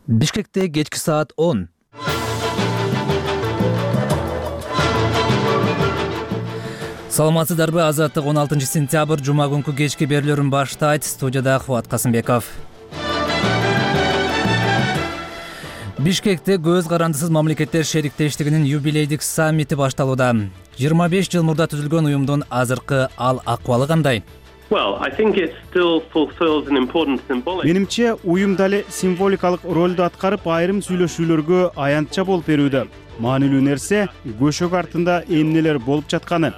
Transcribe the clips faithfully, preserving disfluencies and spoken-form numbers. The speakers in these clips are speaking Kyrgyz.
Бишкекте кечки саат он. Саламатсыздарбы? Азаттык он алтынчы сентябрь жума күнкү кечки берүүлөрүн баштайт. Студияда Кубат Касымбеков. Бишкекте көз карандысыз мамлекеттер шериктештигинин юбилейдик саммити башталууда. жыйырма беш жыл мурда түзүлгөн уюмдун азыркы ал акыбалы кандай? Менимче уюм дали символикалык ролду аткарып, айрым сүйлөшүүлөргө аянтча болуп берүүдө. Маанилүү нерсе көшөк артында эмнелер болуп жатканы.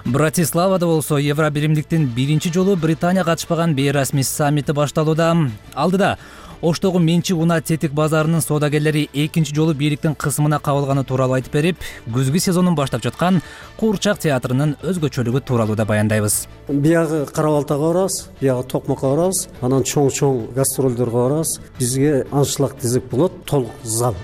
Братиславада болсо Евробиримдиктин биринчи жолу Британия катышпаган бейрасмий саммити башталууда. Алдыда Оштогу Менчик унаа тетик базарынын соодагерлери экинчи жолу бийликтин кысымына кабылганы тууралуу айтып берип, күзгү сезонун баштап жаткан Куурчак театрынын өзгөчөлүгү тууралуу да баяндайбыз. Биягы Кара-Балтага барабыз, биягы Токмокко барабыз, анан чоң-чоң гастролдорго барабыз. Бизге анчлык тизип болот, толук зал.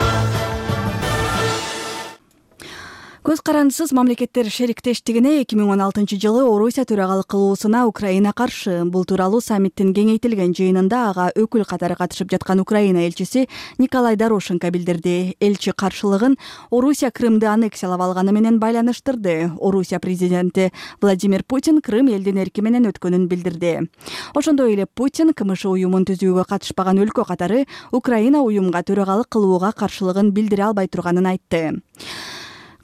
Көз карандысыз мамлекеттер шериктештигине эки миң он алтынчы жылы Орусия төрагалык кылуусуна Украина каршы. Бул тууралуу саммиттин кеңейтилген жыйынында ага өкүл катары катышып жаткан Украина элчиси Николай Дорошенко билдирди. Элчи каршылыгын Орусия Крымды аннексиялап алганы менен байланыштырды. Орусия президенти Владимир Путин Крым элдин эрки менен өткөнүн билдирди. Ошондой эле Путин КМШ уюмун түзүүгө катышпаган өлкө катары Украина уюмга төрагалык кылууга каршылыгын билдире албай турганын айтты.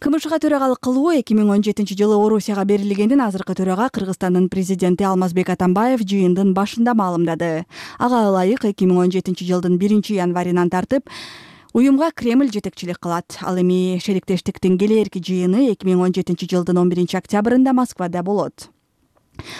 КМШга төрагалык кылуу эки миң он жетинчи жылы Орусияга берилгендин азыркы төрага Кыргызстандын президенти Алмазбек Атамбаев жыйындын башында маалымдады. Ага ылайык эки миң он жетинчи жылдын биринчи январынан тартып уюмга Кремль жетекчилик кылат. Ал эми шериктештиктин келээрки жыйыны эки миң он жетинчи жылдын он биринчи октябрында Москвада болот.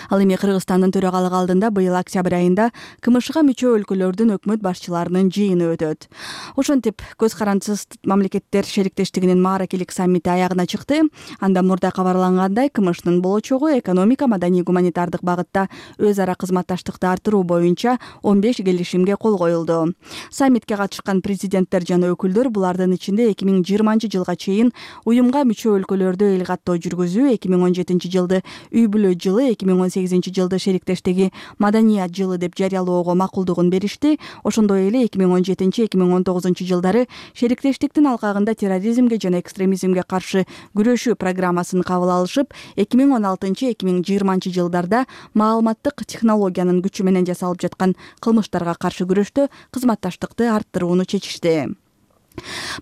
Ал эми Кыргызстандын төрагалыгы алдында быйыл октябрь айында КМШга мүчө өлкөлөрдүн өкмөт башчыларынын жыйыны өтөт. Ошентип көз карандысыз мамлекеттер шериктештигинин мааракелик саммити аягына чыкты. Анда мурда кабарлангандай КМШнын болочогу экономика, маданий, гуманитардык багытта өз ара кызматташтыкты арттыруу боюнча он беш келишимге кол коюлду. Саммитке катышкан президенттер жана өкүлдөр булардын ичинде эки миң жыйырманчы жылга чейин уюмга мүчө өлкөлөрдө эл каттоо жүргүзүү, эки миң он жетинчи жылды үй бүлө жылы, эки миң он сегизинчи жылды шериктештиги маданият жылы деп жарыялоого макулдугун беришти. Ошондой эле эки миң он жетинчи эки миң он тогузунчу жылдары шериктештиктин алкагында терроризмге жана экстремизмге каршы күрөшүү программасын кабыл алышып, эки миң он алтынчы эки миң жыйырманчы жылдарда маалыматтык технологиянын күчү менен жасалып жаткан кылмыштарга каршы күрөштө кызматташтыкты арттырууну чечишти.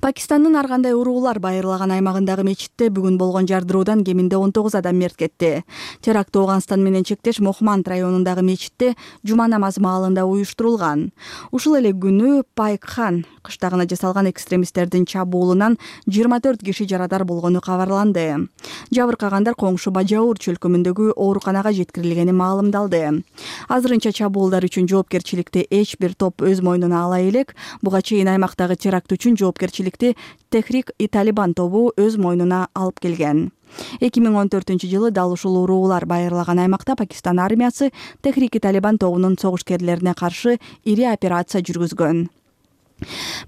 Пакистандын ар кандай уруулар байырлаган аймагындагы мечитте бүгүн болгон жардыруудан кеминде он тогуз адам мерт кетти. Теракт Ооганстан менен чектеш Мохманд районундагы мечитте жума намазы маалында уюштурулган. Ушул эле күнү Пайкхан кыштагына жасалган экстремисттердин чабуулунан жыйырма төрт киши жарадар болгону кабарланды. Жабыркагандар коңшу Бажаур чөлкөмүндөгү ооруканага жеткирилгени маалымдалды. Азырынча чабуулдар үчүн жоопкерчиликти эч бир топ өз мойнуна ала элек. Буга чейин аймактагы теракт үчүн жоопкерчиликти Техрик-и-Талибан тобу өз мойнуна алып келген. эки миң он төртүнчү жылы дал ушул уруулар байырлаган аймакта Пакистан армиясы Техрик-и-Талибан тобунун согушкерлерине каршы ири операция жүргүзгөн.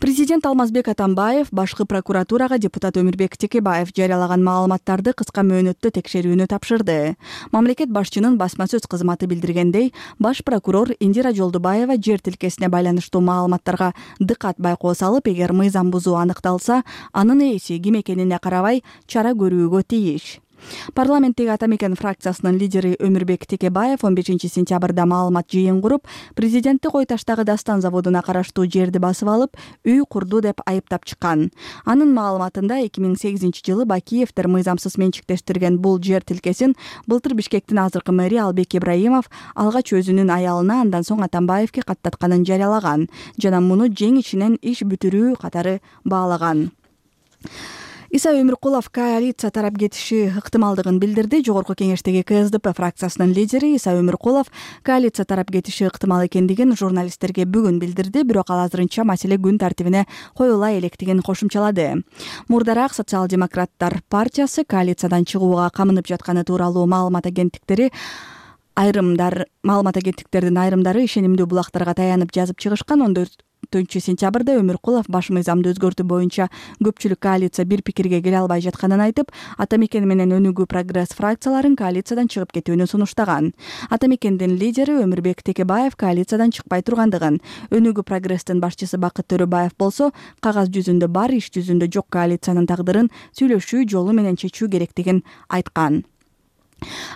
Президент Алмазбек Атамбаев башкы прокуратурага депутат Өмүрбек Текебаев жарыялаган маалыматтарды кыска мөөнөттө текшерүүнү тапшырды. Мамлекет башчынын басма сөз кызматы билдиргендей, баш прокурор Индира Жолдубаева жер тилкесине байланыштуу маалыматтарга дыкат байкоо салып, эгер мыйзам бузуу аныкталса, анын ээси ким экенине карабай чара көрүүгө тийиш. Парламенттеги Ата Мекен фракциясынын лидери Өмүрбек Текебаев он бешинчи сентябрда маалымат жыйын куруп, президентти Кой таштагы Дастан заводуна караштуу жерди басып алып, үй курду деп айыптап чыккан. Анын маалыматында эки миң сегизинчи жылы Бакиевдер мыйзамсыз менчиктештирген бул жер тилкесин былтыр Бишкектин азыркы мэри Албек Ибраимов алгач өзүнүн аялына, андан соң Атамбаевге каттатканын жарыялаган жана муну жең ичинен иш бүтүрүү катары баалаган. Иса Өмүркулов коалиция тарап кетиши ыктымалдыгын билдирди. Жогорку кеңештеги КСДП фракциясынын лидери Иса Өмүркулов коалиция тарап кетиши ыктымал экендигин журналисттерге бүгүн билдирди, бирок ал азырынча маселе күн тартибине коюла электигин кошумчалады. Мурдараак Социал-демократтар партиясы коалициядан чыгууга камынып жатканы тууралуу маалымат агенттиктери айрымдар маалымат агенттиктердин айрымдары ишенимдүү булактарга таянып жазып чыгышкан. төртүнчү сентябрда Өмүркулов баш мыйзамды өзгөртүү боюнча көпчүлүк коалиция бир пикирге келе албай жатканын айтып, Ата мекен менен Өнүгүү прогресс фракцияларын коалициядан чыгып кетүүнү сунуштаган. Ата мекендин лидери Өмүрбек Текебаев коалициядан чыкпай тургандыгын, Өнүгүү прогресстин башчысы Бакыт Төрөбаев болсо кагаз жүзүндө бар, иш жүзүндө жок коалициянын тагдырын сүйлөшүү жолу менен чечүү керектигин айткан.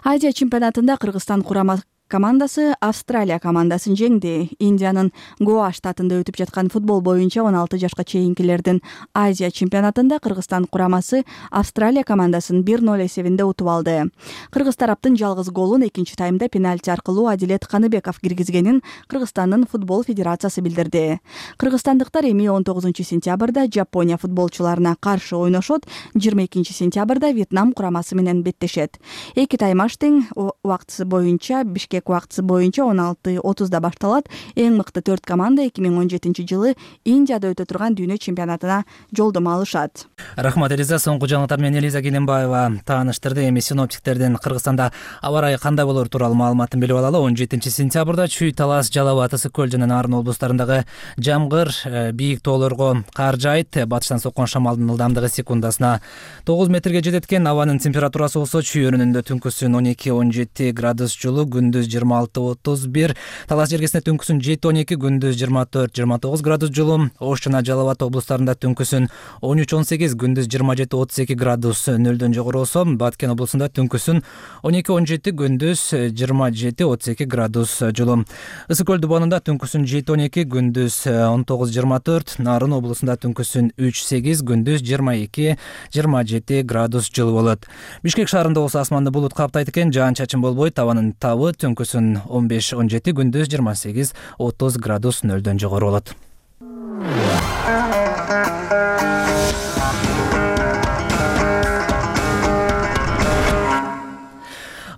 Азия чемпионатында Кыргызстан курама командасы Австралия командасын жеңди. Индиянын Гоа штатында өтүп жаткан футбол боюнча он алты жашка чейинкилердин Азия чемпионатында Кыргызстан курамасы Австралия командасын бир ноль эсебинде утуп алды. Кыргыз тараптын жалгыз голун экинчи таймда пенальти аркылуу Адилет Каныбеков киргизгенин Кыргызстандын футбол федерациясы билдирди. Кыргызстандыктар эми он тогузунчу сентябрда Жапония футболчуларына каршы ойношот, жыйырма экинчи сентябрда Вьетнам курамасы менен беттешет. Эки таймаш тең убактысы боюнча Бишкек убактысы боюнча он алты отузда башталат. Эң мыкты төрт команда эки миң он жетинчи жылы Индияда өтө турган дүйнө чемпионатына жолдомо алышат. Рахмат Элиза. Соңку жаңылыктар менен Элиза Келенбаева тааныштырды. Эми синоптиктердин Кыргызстанда аба ырайы кандай болор тууралуу маалыматын билип алалы. он жетинчи сентябрда Чүй, Талас, Жалал Ат, Ысык көл жана Нарын облустарындагы жамгыр, бийик тоолорго кар жаайт. Батыштан соккон шамалдын ылдамдыгы секундасына тогуз метрге жетет экен. Абанын температурасы болсо Чүй өрүнүндө түнкүсүн он эки он жети градус жылуу, күндүз жыйырма алты отуз бир, Талас жергесинде түнкүсүн жети он эки, күндүз жыйырма төрт жыйырма тогуз градус жылуу, Ош жана Жалал Ат облустарында түнкүсүн он үч он сегиз, күндүз жыйырма жети отуз эки градус нөлдөн жогору болсо, Баткен облусунда түнкүсүн он эки он жети, күндүз жыйырма жети отуз эки градус жылуу. Ысык көл дубанында түнкүсүн жети он эки, күндүз он тогуз жыйырма төрт, Нарын облусунда түнкүсүн үч сегиз, күндүз жыйырма эки жыйырма жети градус жылуу болот. Бишкек шаарында болсо асманды булут каптайт экен, жаан-чачын болбойт, абанын табы түнкүсүн он беш он жети, күндүз жыйырма сегиз отуз градус нөлдөн жогору болот.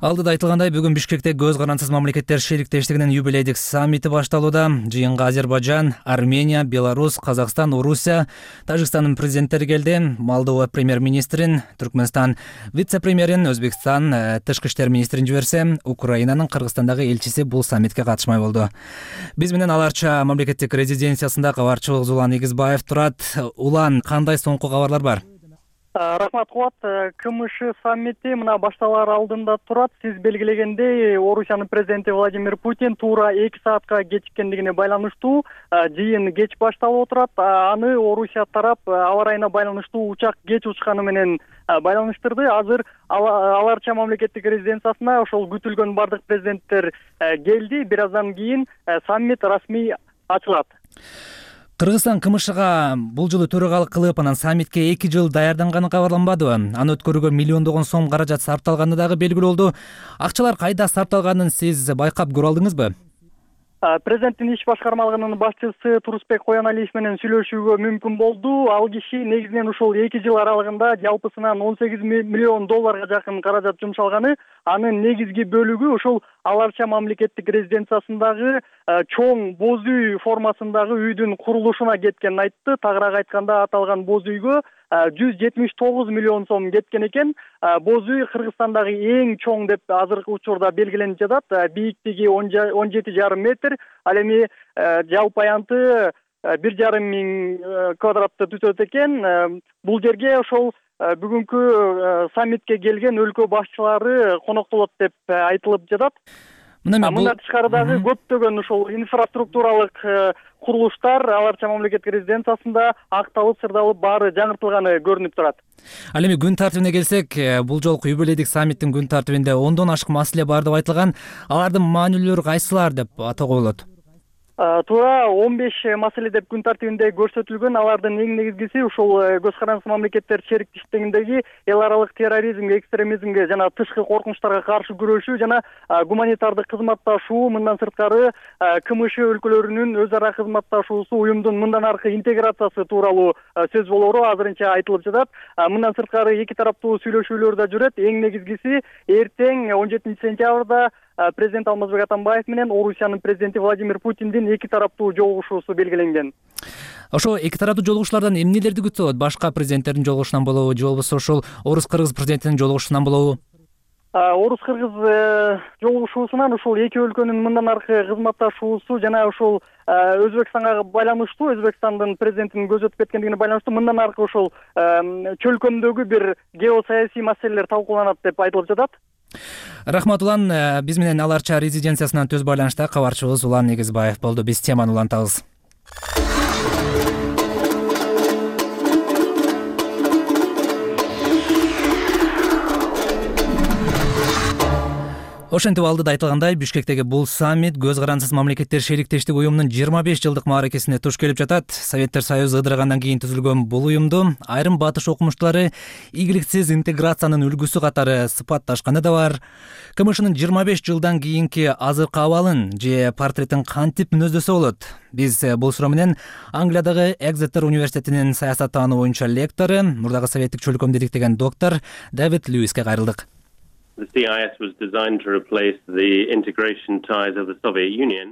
Алдыда айтылгандай, бүгүн Бишкекте көз карансыз мамлекеттер шериктештигинин юбилейдик саммити башталууда. Жыйынга Азербайжан, Армения, Беларусь, Казакстан, Орусия, Тажикстандын президенттери келди. Молдова премьер-министрин, Түркмөнстан вице-премьерин, Өзбекстан тышкы иштер министрин жиберсе, Украинанын Кыргызстандагы элчиси бул саммитке катышмай болду. Биз менен аларча мамлекеттик резиденциясында кабарчыбыз Улан Игизбаев турат. Улан, кандай соңку кабарлар бар? Рахмат Кубат. КМШ саммити мына башталар алдында турат. Сиз белгилегендей, Орусиянын президенти Владимир Путин туура эки саатка кечиккендигине байланыштуу жыйын кеч башталып отурат. Аны Орусия тарап аба ырайына байланыштуу учак кеч учканы менен байланыштырды. Азыр аларча мамлекеттик резиденциясына ошол күтүлгөн бардык президенттер келди. Бир аздан кийин саммит расмий ачылат. Кыргызстан КМШга бул жылы төрагалык кылып, анан саммитке эки жыл даярданганы кабарланбадыбы? Аны өткөрүүгө миллиондогон сом каражат сарпталганы дагы белгилүү болду. Акчалар кайда сарпталганын сиз байкап көрө алдыңызбы? Президенттин иш башкармалыгынын башчысы Турусбек Кояналиев менен сүйлөшүүгө мүмкүн болду. Ал киши негизинен ушул эки жыл аралыгында жалпысынан он сегиз миллион долларга жакын каражат жумшалганы. Анын негизги бөлүгү ушул аларча мамлекеттик резиденциясындагы чоң боз үй формасындагы үйдүн курулушуна кеткенин айтты. Тагыраак айтканда, аталган боз үйгө жүз жетимиш тогуз миллион сом кеткен экен. Боз үй Кыргызстандагы эң чоң деп азыркы учурда белгиленип жатат. Бийиктиги он жети жарым метр, ал эми жалпы аянты бир жарым миң квадратты түзөт экен. Бул жерге ошол бүгүнкү саммитке келген өлкө башчылары коноктолот деп айтылып жатат. Мындан тышкары дагы көптөгөн ушул инфраструктуралык курулуштар аларча мамлекеттик резиденциясында акталып, сырдалып, баары жаңыртылганы көрүнүп турат. Ал эми күн тартибине келсек, бул жолку юбилейдик саммиттин күн тартибинде ондон ашык маселе бар деп айтылган. Алардын маанилүүлөрү кайсылар деп атоого болот? Туура он беш маселе деп күн тартибинде көрсөтүлгөн. Алардын эң негизгиси ушул көз карансыз мамлекеттер шериктештигиндеги эл аралык терроризмге, экстремизмге жана тышкы коркунучтарга каршы күрөшүү жана гуманитардык кызматташуу, мындан сырткары КМШ өлкөлөрүнүн өз ара кызматташуусу, уюмдун мындан аркы интеграциясы тууралуу сөз болору азырынча айтылып жатат. Мындан сырткары эки тараптуу сүйлөшүүлөр да жүрөт. Эң негизгиси эртең он жетинчи сентябрда президент Алмазбек Атамбаев менен Орусиянын президенти Владимир Путиндин эки тараптуу жолугушуусу белгиленген. Ошо эки тараптуу жолугушуулардан эмнелерди күтсө болот? Башка президенттердин жолугушуунан болобу же болбосо ошол орус-кыргыз президентинин жолугушуунан болобу? Орус кыргыз жолугушуусунан ушул эки өлкөнүн мындан аркы кызматташуусу жана ушул Өзбекстанга байланыштуу, Өзбекстандын президентинин көзү өтүп кеткендигине байланыштуу мындан аркы ушул чөлкөмдөгү бир геосаясий маселелер талкууланат деп айтылып жатат. Рахмат Улан, биз менен Ал Арча резиденциясынан төз байланышта кабарчыбыз Улан Негизбаев болду. Биз теманы улантабыз. Ошентип алдыда айтылгандай, Бишкектеги бул саммит көз карансыз мамлекеттер шериктештик уюмунун жыйырма беш жылдык мааракесине туш келип жатат. Советтер Союзу ыдырагандан кийин түзүлгөн бул уюмду айрым батыш окумуштуулары ийгиликсиз интеграциянын үлгүсү катары сыпатташканы да бар. КМШнын жыйырма беш жылдан кийинки азыркы абалын же портретин кантип мүнөздөсө болот? Биз бул суроо менен Англиядагы Экзетер университетинин саясаттануу боюнча лектору, мурдагы советтик чөлкөмдү иликтеген доктор Дэвид Льюиске кайрылдык.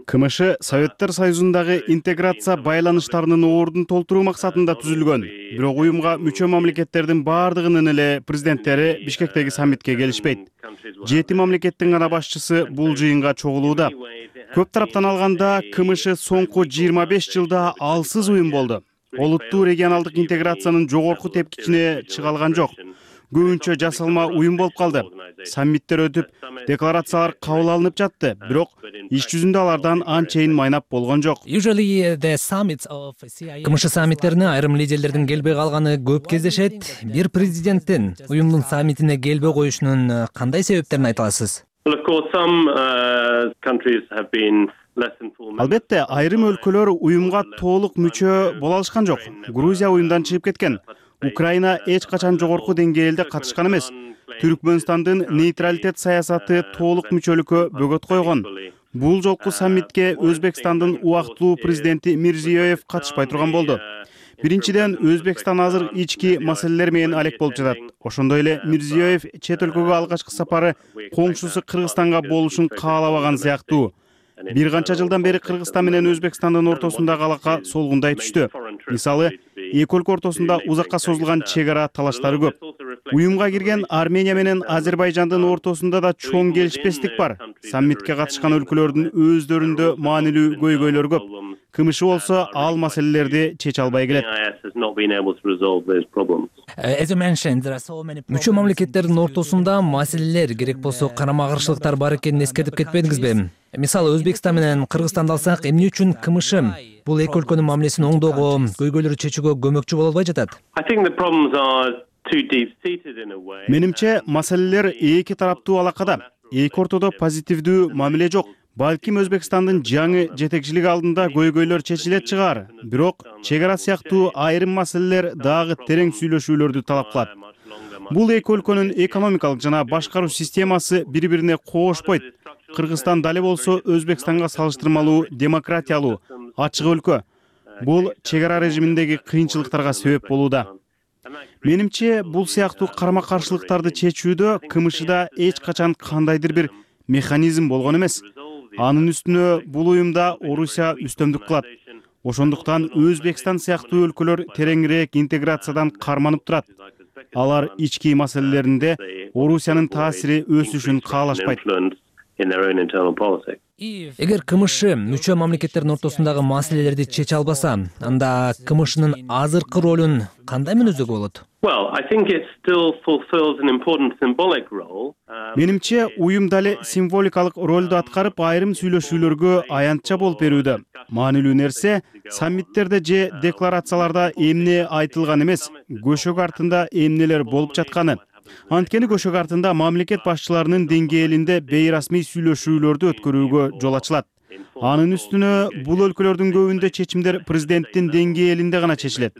КМШ Советтер Союзундагы интеграция байланыштарынын ордун толтуруу максатында түзүлгөн. Бирок уюмга мүчө мамлекеттердин баардыгынын эле президенттери Бишкектеги саммитке келишпейт. Жети мамлекеттин гана башчысы бул жыйынга чогулууда. Көп тараптан алганда КМШ соңку жыйырма беш жылда алсыз уюм болду. Олуттуу регионалдык интеграциянын жогорку тепкичине чыга алган жок. Көбүнчө жасалма уюм болуп калды. Саммиттер өтүп, декларациялар кабыл алынып жатты, бирок иш жүзүндө алардан анчейин майнап болгон жок. КМШ саммиттерине айрым лидерлердин келбей калганы көп кездешет. Бир президенттин уюмдун саммитине келбей коюшунун кандай себептерин айта аласыз? Албетте, айрым өлкөлөр уюмга толук мүчө боло алышкан жок. Грузия уюмдан чыгып кеткен. Украина эч качан жогорку деңгээлде катышкан эмес. Түркмөнстандын нейтралитет саясаты толук мүчөлүккө бөгөт койгон. Бул жолку саммитке Өзбекстандын убактылуу президенти Мирзиёев катышпай турган болду. Биринчиден, Өзбекстан азыр ички маселелер менен алек болуп жатат. Ошондой эле Мирзиёев чет өлкөгө алгачкы сапары коңшусу Кыргызстанга болушун каалабаган сыяктуу. Бир канча жылдан бери Кыргызстан менен Өзбекстандын ортосундагы алака солгундай түштү. Мисалы, эки өлкө ортосунда узакка созулган чек ара талаштары көп. Уюмга кирген Армения менен Азербайжандын ортосунда да чоң келишпестик бар. Саммитке катышкан өлкөлөрдүн өздөрүндө маанилүү көйгөйлөр көп. КМШ болсо ал маселелерди чече албай келет. Мүчө мамлекеттердин ортосунда маселелер, керек болсо карама каршылыктар бар экенин эскертип кетпедиңизби? Мисалы, Өзбекстан менен Кыргызстанды алсак, эмне үчүн КМШ бул эки өлкөнүн мамилесин оңдоого, көйгөйлөрдү чечүүгө көмөкчү боло албай жатат? Менимче, маселелер эки тараптуу алакада. Эки ортодо позитивдүү мамиле жок. Балким Өзбекстандын жаңы жетекчилиги алдында көйгөйлөр чечилет чыгар. Бирок чек ара сыяктуу айрым маселелер дагы терең сүйлөшүүлөрдү талап кылат. Бул эки өлкөнүн экономикалык жана башкаруу системасы бири-бирине коошпойт. Кыргызстан дале болсо Өзбекстанга салыштырмалуу демократиялуу, ачык өлкө. Бул чек ара режиминдеги кыйынчылыктарга себеп болууда. Менимче, бул сыяктуу карама каршылыктарды чечүүдө КМШда эч качан кандайдыр бир механизм болгон эмес. Анын үстүнө бул уюмда Орусия үстөмдүк кылат. Ошондуктан Өзбекстан сыяктуу өлкөлөр тереңирээк интеграциядан карманып турат. Алар ички маселелеринде Орусиянын таасири өсүшүн каалашпайт. Эгер КМШ мүчө мамлекеттердин ортосундагы маселелерди чече албаса, анда КМШнын азыркы ролун кандай мүнөздөгө болот? Менимче, уюм дале символикалык ролду аткарып, айрым сүйлөшүүлөргө аянтча болуп берүүдө. Маанилүү нерсе, саммиттерде же декларацияларда эмне айтылган эмес, көшөк артында эмнелер болуп жатканы. Анткени көшөк артында мамлекет башчыларынын деңгээлинде бейрасмий сүйлөшүүлөрдү өткөрүүгө жол ачылат. Анын үстүнө бул өлкөлөрдүн көбүндө чечимдер президенттин деңгээлинде гана чечилет.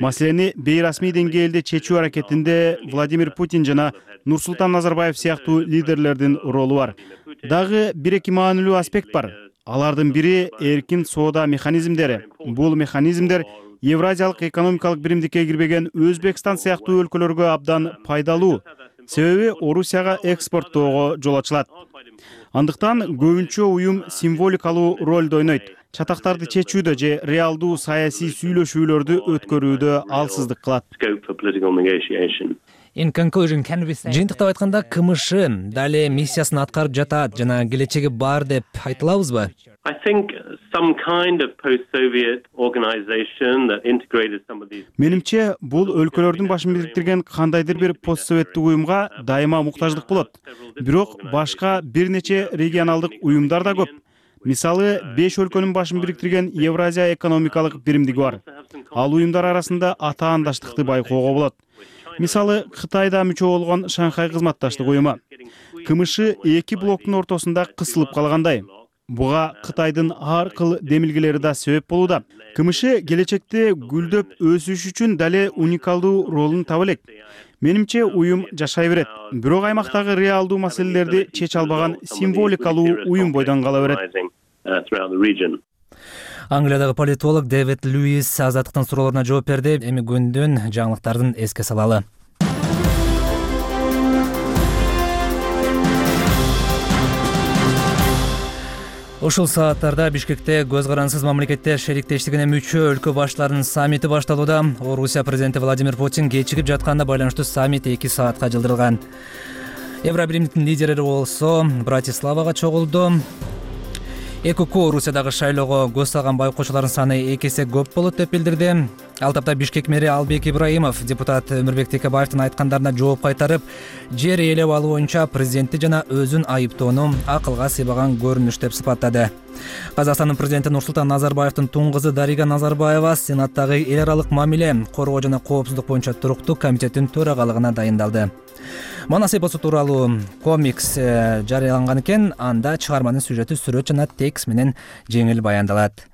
Маселени бейрасмий деңгээлде чечүү аракетинде Владимир Путин жана Нурсултан Назарбаев сыяктуу лидерлердин ролу бар. Дагы бир-эки маанилүү аспект бар. Алардын бири эркин соода механизмдери. Бул механизмдер Евразиялык экономикалык биримдикке кирбеген Өзбекстан сыяктуу өлкөлөргө абдан пайдалуу. Себеби Орусияга экспорттоого жол ачылат. Андыктан көбүнчө уюм символикалуу ролду ойнойт. Чатактарды чечүүдө же реалдуу саясий сүйлөшүүлөрдү өткөрүүдө алсыздык кылат. Жыйынтыктап айтканда, КМШ дали миссиясын аткарып жатат жана келечеги бар деп айта алабызбы? I think some kind of post-Soviet organization that integrated some of these. Менимче, бул өлкөлөрдүн башын бириктирген кандайдыр бир постсоветтик уюмга дайыма муктаждык болот. Бирок башка бир нече регионалдык уюмдар да көп. Мисалы, беш өлкөнүн башын бириктирген Евразия экономикалык биримдиги бар. Ал уюмдар арасында атаандаштыкты байкоого болот. Мисалы, Кытайда мүчө болгон Шанхай кызматташтык уюму. КМШ эки блоктун ортосунда кысылып калгандай. Буга Кытайдын ар кыл демилгелери да себеп болууда. КМШ келечекте гүлдөп өсүш үчүн дале уникалдуу ролун таба элек. Менимче, уюм жашай берет. Бирок аймактагы реалдуу маселелерди чече албаган символикалуу уюм бойдон кала берет. Англиядагы политолог Дэвид Льюис Азаттыктын суроолоруна жооп берди. Эми күндүн жаңылыктарын эске салалы. Ушул сааттарда Бишкекте көз карансыз мамлекеттер шериктештигине мүчө өлкө баштарынын саммити башталууда. Орусия президенти Владимир Путин кечигип жатканына байланыштуу саммит эки саатка жылдырылган. Евробиримдиктин лидерлери болсо Братиславага чогулду. ЭКК Орусиядагы шайлоого көз салган байкоочулардын саны эки эсе көп болот деп билдирди. Ал тапта Бишкек мэри Албек Ибраимов депутат Өмүрбек Текебаевдин айткандарына жооп кайтарып, жер ээлеп алуу боюнча президентти жана өзүн айыптоону акылга сыйбаган көрүнүш деп сыпаттады. Казакстандын президенти Нурсултан Назарбаевдин тун кызы Дарига Назарбаева Сенаттагы эл аралык мамиле, коргоо жана коопсуздук боюнча туруктуу комитеттин төрагалыгына дайындалды. Манас эпосу тууралуу комикс жарыяланган экен, анда чыгарманын сюжети сүрөт жана текст менен жеңил баяндалат.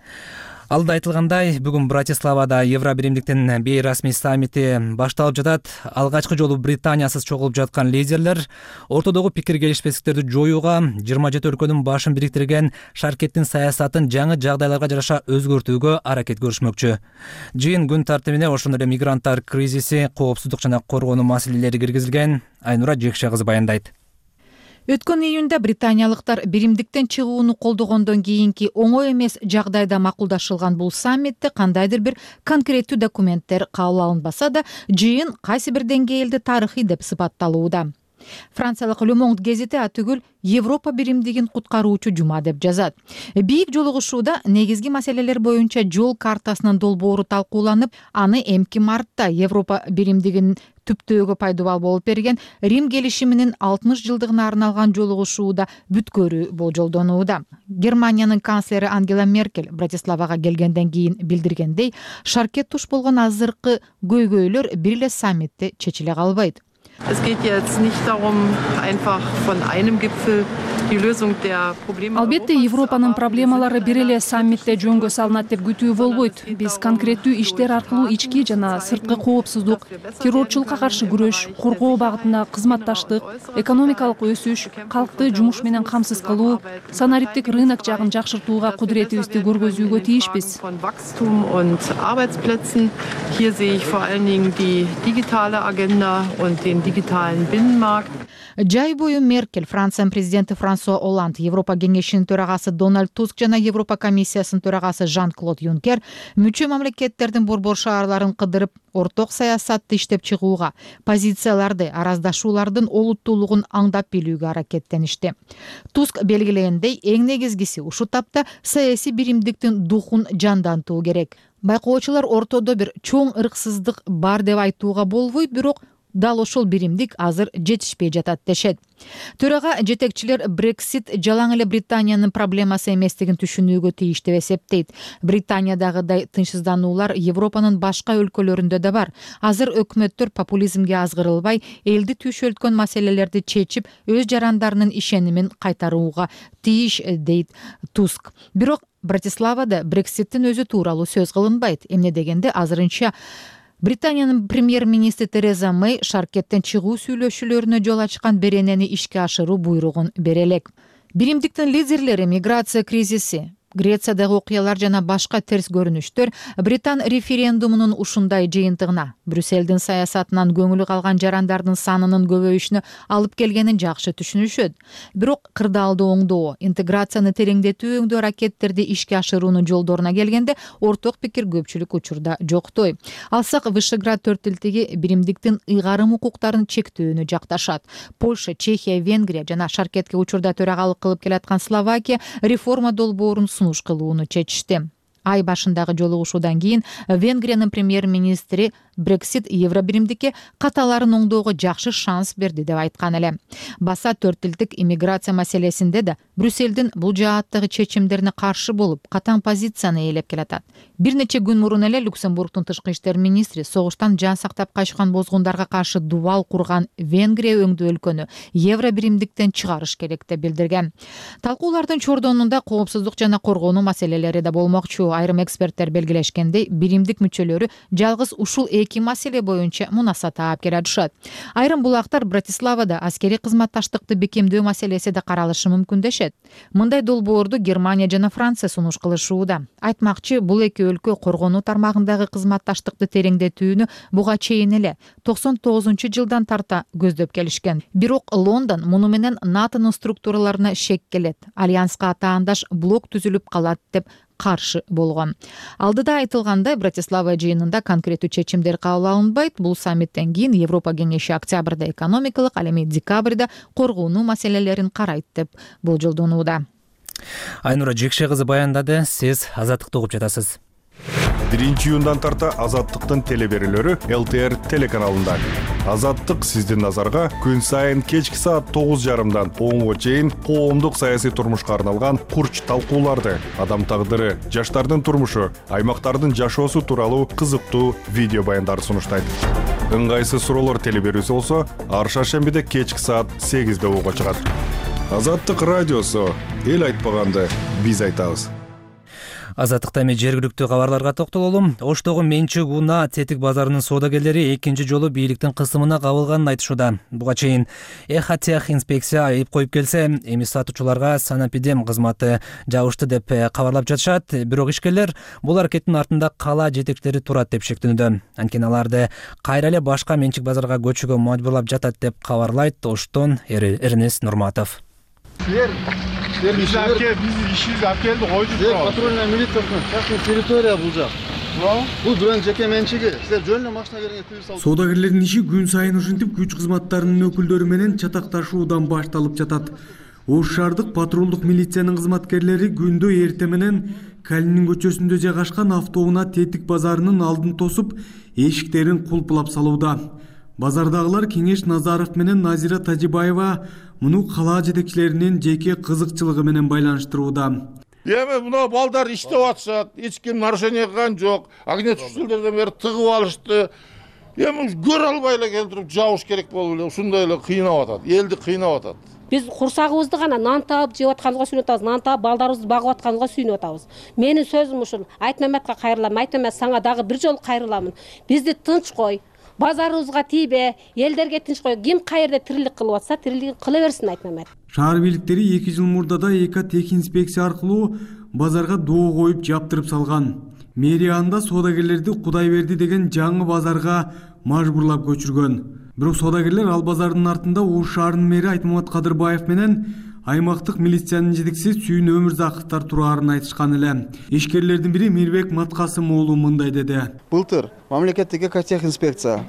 Алда айтылгандай, бүгүн Братиславада Евробиримдиктин бейрасмий саммити башталып жатат. Алгачкы жолу Британиясыз чогулуп жаткан лидерлер ортодогу пикир келишпестиктерди жоюуга, жыйырма жети өлкөнүн башын бириктирген шаркеттин саясатын жаңы жагдайларга жараша өзгөртүүгө аракет көрүшмөкчү. Жыйын күн тартибине ошондой эле мигранттар кризиси, коопсуздук жана коргонуу маселелери киргизилген. Айнура Жекше кызы баяндайт. Өткөн июнда британиялыктар биримдиктен чыгууну колдогондон кийинки оңой эмес жагдайда макулдашылган бул саммитте кандайдыр бир конкреттүү документтер кабыл алынбаса да, жыйын кайсы бир деңгээлде тарыхый деп сыпатталууда. Франциялык Le Monde гезити атүгүл Европа биримдигин куткаруучу жума деп жазат. Бийик жолугушууда негизги маселелер боюнча жол картасынын долбоору талкууланып, аны эмки мартта Европа биримдигинин түптөөгө пайдубал болуп берген Рим келишиминин алтымыш жылдыгына арналган жолугушууда бүткөрүү болжолдонууда. Германиянын канцлери Ангела Меркель Братиславага келгенден кийин билдиргендей, шаркет туш болгон азыркы көйгөйлөр бир эле саммитте чечиле калбайт. Es geht jetzt nicht darum, einfach von einem Gipfel die Lösung der Probleme. Албетте, Европанын проблемалары бир эле саммитте жөнгө салынат деп күтүү болбойт. Биз конкреттүү иштер аркылуу ички жана сырткы коопсуздук, террорчулукка каршы күрөш, коргоо багытында кызматташтык, экономикалык өсүш, калкты жумуш менен камсыз кылуу, санариптик рынок жагын жакшыртууга кудуретибизди көргөзүүгө тийишпиз. Von Wachstum und Arbeitsplätzen. Hier sehe ich vor allen Dingen die digitale Agenda und den digitalen Binnenmarkt. Жай бою Меркель, Франциянын президенти Франсуа Олланд, Европа кеңешинин төрагасы Дональд Туск жана Европа комиссиясынын төрагасы Жан-Клод Юнкер мүчө мамлекеттердин борбор шаарларын кыдырып, орток саясатты иштеп чыгууга, позицияларды, араздашуулардын олуттуулугун аңдап билүүгө аракеттеништи. Туск белгилегендей, эң негизгиси ушул тапта саясий биримдиктин духун жандантуу керек. Байкоочулар ортодо бир чоң ырксыздык бар деп айтууга болбойт, бирок дал ошол биримдик азыр жетишпей жатат дешет. Төрага жетекчилер Брексит жалаң эле Британиянын проблемасы эместигин түшүнүүгө тийиш деп эсептейт. Британиядагыдай тынчсыздануулар Европанын башка өлкөлөрүндө да бар. Азыр өкмөттөр популизмге азгырылбай, элди түйшөлткөн маселелерди чечип, өз жарандарынын ишенимин кайтарууга тийиш, дейт Туск. Бирок Братиславада Брекситтин өзү тууралуу сөз кылынбайт. Эмне дегенде азырынча Британиянын премьер-министри Тереза Мэй шаркеттен чыгуу сүйлөшүүлөрүнө жол ачкан беренени ишке ашыруу буйругун бере элек. Биримдиктин лидерлери миграция кризиси, Грециядагы окуялар жана башка терс көрүнүштөр Британ референдумунун ушундай жыйынтыгына, Брюссельдин саясатынан көңүлү калган жарандардын санынын көбөйүшүнө алып келгенин жакшы түшүнүшөт. Бирок кырдаалды оңдоо, интеграцияны тереңдетүү өңдүү аракеттерди ишке ашыруунун жолдоруна келгенде орток пикир көпчүлүк учурда жоктой. Алсак Вышеград төртөлтүгү биримдиктин ыйгарым укуктарын чектөөнү жакташат. Польша, Чехия, Венгрия жана шаркетке учурда төрагалык кылып келаткан Словакия реформа долбоорун сунуш кылууну чечишти. Ай башындагы жолугушуудан кийин Венгриянын премьер-министри Брексит Евробиримдикке каталарын оңдоого жакшы шанс берди деп айткан эле. Баса төртүлтүк иммиграция маселесинде да Брюссельдин бул жааттагы чечимдерине каршы болуп, катаң позицияны ээлеп келатат. Бир нече күн мурун эле Люксембургдун тышкы иштер министри согуштан жан сактап качкан бозгундарга каршы дубал курган Венгрия өңдүү өлкөнү Евробиримдиктен чыгарыш керек деп билдирген. Талкуулардын чордонунда коопсуздук жана коргонуу маселелери да болмокчу. Айрым эксперттер белгилешкендей, биримдик мүчөлөрү жалгыз ушул эки маселе боюнча мунаса таап келе атышат. Айрым булактар Братиславада аскерий кызматташтыкты бекемдөө маселеси да каралышы мүмкүн дешет. Мындай долбоорду Германия жана Франция сунуш кылышууда. Айтмакчы, бул эки өлкө коргонуу тармагындагы кызматташтыкты тереңдетүүнү буга чейин эле токсон тогузунчу жылдан тарта көздөп келишкен. Бирок Лондон муну менен НАТОнун структураларына шек келет. Альянска атаандаш блок түзүлүп калат деп каршы болгон. Алдыда айтылгандай, Братислава жыйынында конкреттүү чечимдер кабыл алынбайт. Бул саммиттен кийин Европа кеңеши октябрда экономикалык, ал эми декабрда коргонуу маселелерин карайт деп болжолдонууда. Айнура Жекше кызы баяндады. Сиз Азаттыкты угуп жатасыз. биринчи июндан тарта Азаттыктын телеберүүлөрү эл тэ эр телеканалында. Азаттык сиздин назарга күн сайын кечки саат тогуз жарымдан онго чейин коомдук саясий турмушка арналган курч талкууларды, адам тагдыры, жаштардын турмушу, аймактардын жашоосу тууралуу кызыктуу видео баяндарды сунуштайт. Ыңгайсыз суроолор телеберүүсү болсо, ар шаршембиде кечки саат сегизде угууга чыгат. Азаттык радиосу, эл айтпаганды биз айтабыз. Азаттыкта эми жергиликтүү кабарларга токтололу. Оштогу Менчик унаа тетик базарынын соодагерлери экинчи жолу бийликтин кысымына кабылганын айтышууда. Буга чейин Эхатех инспекция айып коюп келсе, эми сатуучуларга санэпидем кызматы жабышты деп кабарлап жатышат. Бирок ишкерлер бул аракеттин артында кала жетекчилери турат деп шектенүүдө. Анткени аларды кайра эле башка Менчик базарга көчүүгө мажбурлап жатат деп кабарлайт Оштон Эрнест Нурматов. Биз ишибизди алып келди, койдук. Патрульная милициясынын частный территория бул жак. Бул бирөөнүн жеке менчиги. Силер жөн эле машина келгенге тыюу салып. Соодагерлердин иши күн сайын ушинтип күч кызматтарынын өкүлдөрү менен чатакташуудан башталып жатат. Ош шаардык патрулдук милициянын кызматкерлери күндө эрте менен Калинин көчөсүндө жайгашкан автоунаа тетик базарынын алдын тосуп, эшиктерин кулпулап салууда. Базардагылар Кеңеш Назаров менен Назира Тажибаева муну кала жетекчилеринин жеке кызыкчылыгы менен байланыштырууда. Эми мына балдар иштеп атышат, эч ким нарушение кылган жок. Огнетушителдерден бери тыгып алышты. Эми көрө албай эле келтирип жабыш керек болуп эле ушундай эле кыйнап атат. Элди кыйнап атат. Биз курсагыбызды гана нан таап жеп атканга сүйүнүп атабыз, нан таап балдарыбызды багып атканга сүйүнүп атабыз. Менин сөзүм ушул. Айтмаметке кайрылам, Айтмамет сага дагы бир жолу кайрыламын. Бизди тынч кой. Базарыбызга тийбе, элдерге тынч кой. Ким кайерде тирилик кылып атса, тирилигин кыла берсин Айтмамет. Шаар бийликтери эки жыл мурда Экатех инспекция аркылуу базарга доо коюп жаптырып салган. Мэриянда соодагерлерди Кудайберди деген жаңы базарга мажбурлап көчүргөн. Бирок соодагерлер ал базардын артында Ош шаарынын мэри Айтмамет Кадырбаев менен аймактык милициянын жетекчиси Сүйүн Өмүрзаковдор турарын айтышкан эле. Ишкерлердин бири Мирбек Маткасым уулу мындай деди. Былтыр мамлекеттик Экатех инспекция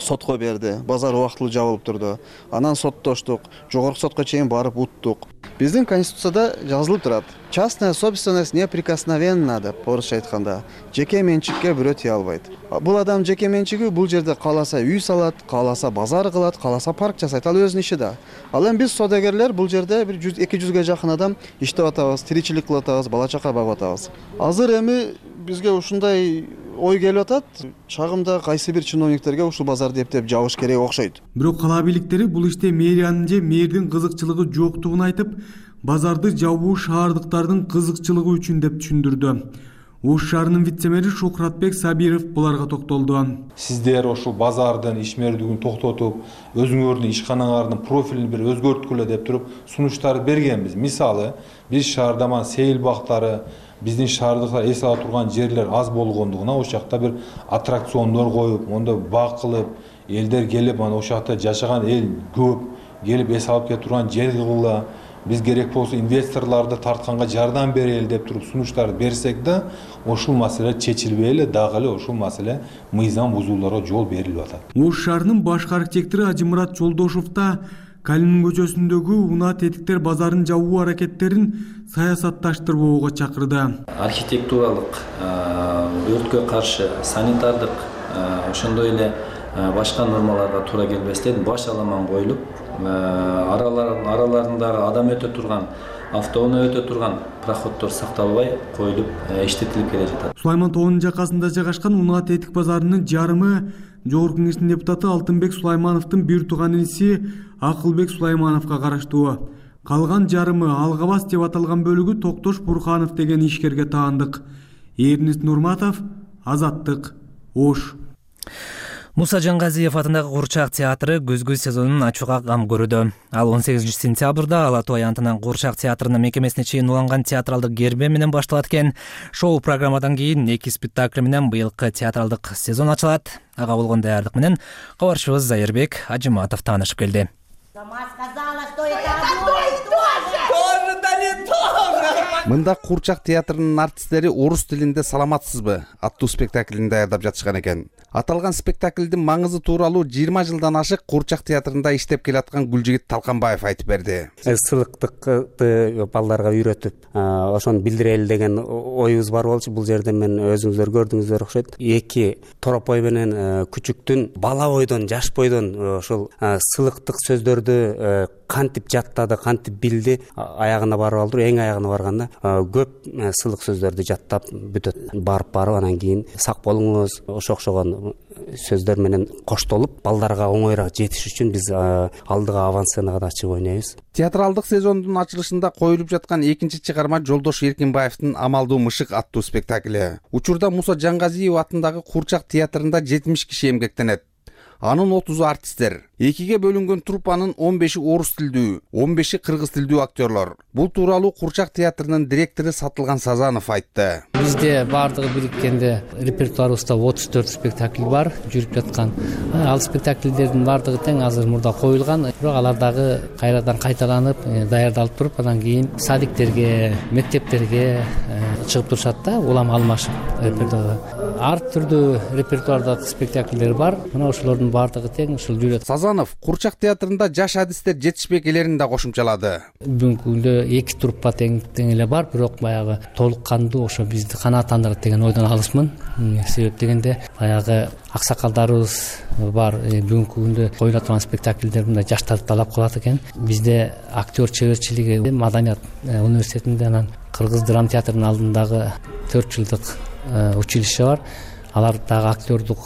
сотко берди. Базар убактылуу жабылып турду. Анан соттоштук, жогорку сотко чейин барып уттук. Биздин конституцияда жазылып турат. Частная собственность неприкосновенна деп орусча айтканда. Жеке менчикке бирөө тие албайт. Бул адам жеке менчиги бул жерде кааласа үй салат, кааласа базар кылат, кааласа парк жасайт. Ал өзүнүн иши да. Ал эми биз соодагерлер бул жерде бир эки жүзгө жакын адам иштеп атабыз, тиричилик кылып атабыз, бала чака багып атабыз. Азыр эми бизге ушундай ой келип атат. Чагымда кайсы бир чиновниктерге ушул базарды эптеп жабыш керек окшойт. Бирок кала бийликтери бул иште мэриянын же мэрдин кызыкчылыгы жоктугун айтып, базарды жабуу шаардыктардын кызыкчылыгы үчүн деп түшүндүрдү. Ош шаарынын вице-мэри Шухратбек Сабиров буларга токтолду. Сиздер ошол базардын ишмердигин токтотуп, өзүңөрдүн ишканаңардын профилин бир өзгөрткүлө деп туруп сунуштарды бергенбиз. Мисалы, биз шаарда мана сейил бактары, биздин шаардыкта эс ала турган жерлер аз болгондугуна ошол жакта бир аттракциондор коюп, мондо бак кылып, элдер келип, ана ошол жакта жашаган эл көп, келип эс алып кете турган жер кылгыла. Биз керек болсо инвесторлорду тартканга жардам берели деп туруп сунуштарды берсек да, ушул маселе чечилбей эле дагы эле ушул маселе мыйзам бузууларга жол берилип атат. Ош шаарынын башкы архитектору Ажымурат Жолдошов да Калинин көчөсүндөгү унаа тетиктер базарын жабуу аракеттерин саясатташтырбоого чакырды. Архитектуралык, өрткө каршы, санитардык, ошондой эле башка нормаларга туура келбестен баш аламан коюлуп, араларындагы адам өтө турган, автоунаа өтө турган проходдор сакталбай коюлуп иштетилип келе жатат. Сулайман тоонун жакасында жайгашкан унаа тетик базарынын жарымы Жогорку Кеңештин депутаты Алтынбек Сулаймановдун бир тууган иниси Акылбек Сулаймановго караштуу. Калган жарымы Алгабас деп аталган бөлүгү Токтош Бурханов деген ишкерге таандык. Эрнест Нурматов, Азаттык, Ош. Муса Жангазиев атындагы Курчак театры көзгү сезонун ачууга кам көрүүдө. Ал он сегизинчи сентябрда Ала Тоо аянтынан Курчак театрынын мекемесине чейин уланган театралдык гербе менен башталат экен. Шоу программадан кийин эки спектакль менен быйылкы театралдык сезон ачылат. Ага болгон даярдык менен кабарчыбыз Зайырбек Ажыматов таанышып келди. Мында Курчак театрынын артисттери орус тилинде «Саламатсызбы» аттуу спектаклин даярдап жатышкан экен. Аталган спектаклдин маңызы тууралуу жыйырма жылдан ашык Курчак театрында иштеп келаткан Гүлжигит Талканбаев айтып берди. Сылыктыкты балдарга үйрөтүп, ошону билдирели деген оюбуз бар болчу. Бул жерде мен өзүңүздөр көрдүңүздөр окшойт. Эки торопой менен күчүктүн бала бойдон, жаш бойдон ошол сылыктык сөздөрдү кантип жаттады, кантип билди, аягына барып алдыр. Эң аягына барганда көп сылык сөздөрдү жаттап бүтөт. Барып барып анан кийин сак болуңуз, ошо окшогон сөздөр менен коштолуп, балдарга оңоюраак жетиш үчүн биз алдыга авансценага да чыгып ойнойбуз. Театралдык сезондун ачылышында коюлуп жаткан экинчи чыгарма Жолдош Эркинбаевдин «Амалдуу мышык» аттуу спектакли. Учурда Муса Жангазиев атындагы Курчак театрында жетимиш киши эмгектенет. Анын отузу артисттер. Экиге бөлүнгөн труппанын он беши орус тилдүү, он беши кыргыз тилдүү актерлор. Бул тууралуу Курчак театрынын директору Сатылган Сазанов айтты. Бизде бардыгы бириккенде репертуарыбызда отуз төрт спектакль бар жүрүп жаткан. Ал спектакльдердин бардыгы тең азыр мурда коюлган, бирок алар дагы кайрадан кайталанып, даярдалып туруп, анан кийин садиктерге, мектептерге чыгып турушат да, улам алмашып репертуарда. Ар түрдүү репертуарда спектакльдер бар. Мына ошолордун бардыгы тең ушул жүрөт. Сазанов Курчак театрында жаш адистер жетишпей келерин да кошумчалады. Бүгүнкү күндө эки труппа тең тең эле бар, бирок баягы толук кандуу ошо бизди канааттандырат деген ойдон алысмын. Себеп дегенде баягы аксакалдарыбыз бар. Бүгүнкү күндө коюла турган спектакльдер мындай жаштарды талап кылат экен. Бизде актер чеберчилиги Маданият университетинде, анан Кыргыз драма театрынын алдындагы төрт жылдык училище бар. Алар дагы актердук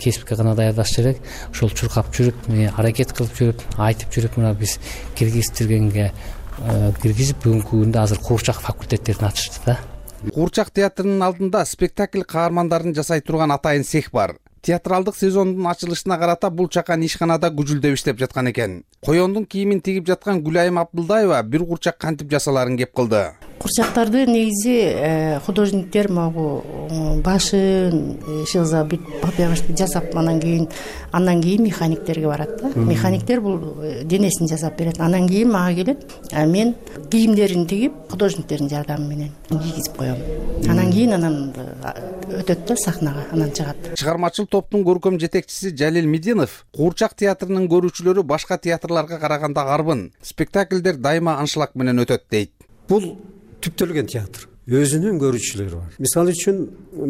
кесипке гана даярдаш керек. Ошол чуркап жүрүп, аракет кылып жүрүп, айтып жүрүп, мына биз киргизтиргенге киргизип, бүгүнкү күндө азыр Курчак факультеттерин ачышты да. Курчак театрынын алдында спектакль каармандарын жасай турган атайын цех бар. Театралдык сезондун ачылышына карата бул чакан ишканада күжүлдөп иштеп жаткан экен. Коёндун кийимин тигип жаткан Гүлайым Абдылдаева бир курчак кантип жасаларын кеп кылды. Курчактарды негизи художниктер могу башын шылза бүт бапягышты жасап, анан кийин андан кийин механиктерге барат да. Механиктер бул денесин жасап берет. Анан кийин мага келет. Мен кийимдерин тигип, художниктердин жардамы менен кийгизип коем. Анан кийин анан өтөт да сахнага, анан чыгат. Чыгармачыл топтун көркөм жетекчиси Жалил Мединов Курчак театрынын көрүүчүлөрү башка театрларга караганда арбын. Спектакльдер дайыма аншлаг менен өтөт дейт. Бул түптөлгөн театр. Өзүнүн көрүүчүлөрү бар. Мисалы үчүн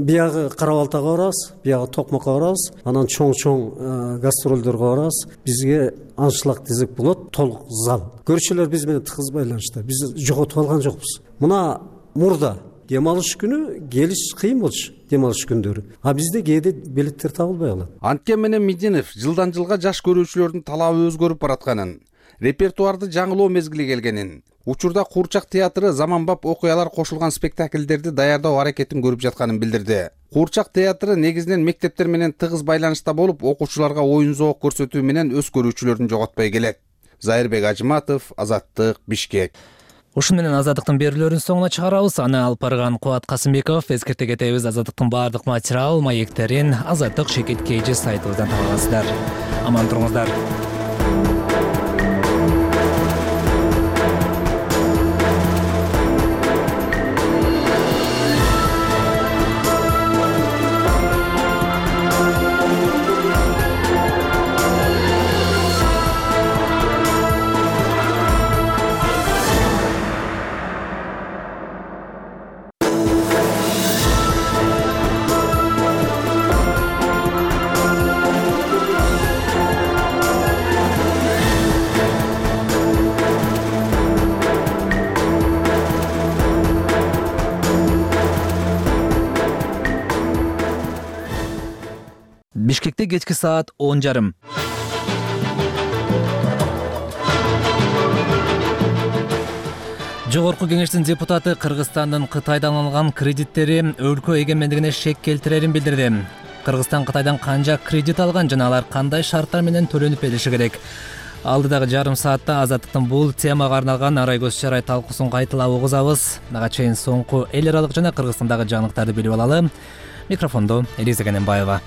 биягы Кара-Балтага барабыз, биягы Токмокко барабыз, анан чоң-чоң гастролдорго барабыз. Бизге аншлаг десек болот, толук зал. Көрүүчүлөр биз менен тыгыз байланышта. Биз жоготуп алган жокпуз. Мына мурда дем алыш күнү келиш кыйын болчу, дем алыш күндөрү. А бизде кээде билеттер табылбай калат. Анткени менен Мединов жылдан жылга жаш көрүүчүлөрдүн талабы өзгөрүп баратканын, репертуарды жаңылоо мезгили келгенин, учурда Куурчак театры заманбап окуялар кошулган спектакльдерди даярдоо аракетин көрүп жатканын билдирди. Куурчак театры негизинен мектептер менен тыгыз байланышта болуп, окуучуларга оюн зоок көрсөтүү менен өз көрүүчүлөрүн жоготпой келет. Зайырбек Ажыматов, Азаттык, Бишкек. Ушун менен Азаттыктын берүүлөрүнүн соңуна чыгарабыз. Аны алып барган Кубат Касымбеков. Эскерте кетебиз, Азаттыктын баардык материал, маектерин Азаттык Шекет Кейжи сайтыбыздан таба аласыздар. Аман туруңуздар. Бишкекте кечки саат он жарым. Жогорку кеңештин депутаты Кыргызстандын Кытайдан алган кредиттери өлкө эгемендигине шек келтирерин билдирди. Кыргызстан Кытайдан канча кредит алган жана алар кандай шарттар менен төлөнүп бериши керек? Алдыдагы жарым саатта Азаттыктын бул темага арналган арай көз чарай талкуусун кайталап угузабыз. Ага чейин соңку эл аралык жана Кыргызстандагы жаңылыктарды билип алалы. Микрофондо Элиза Кененбаева.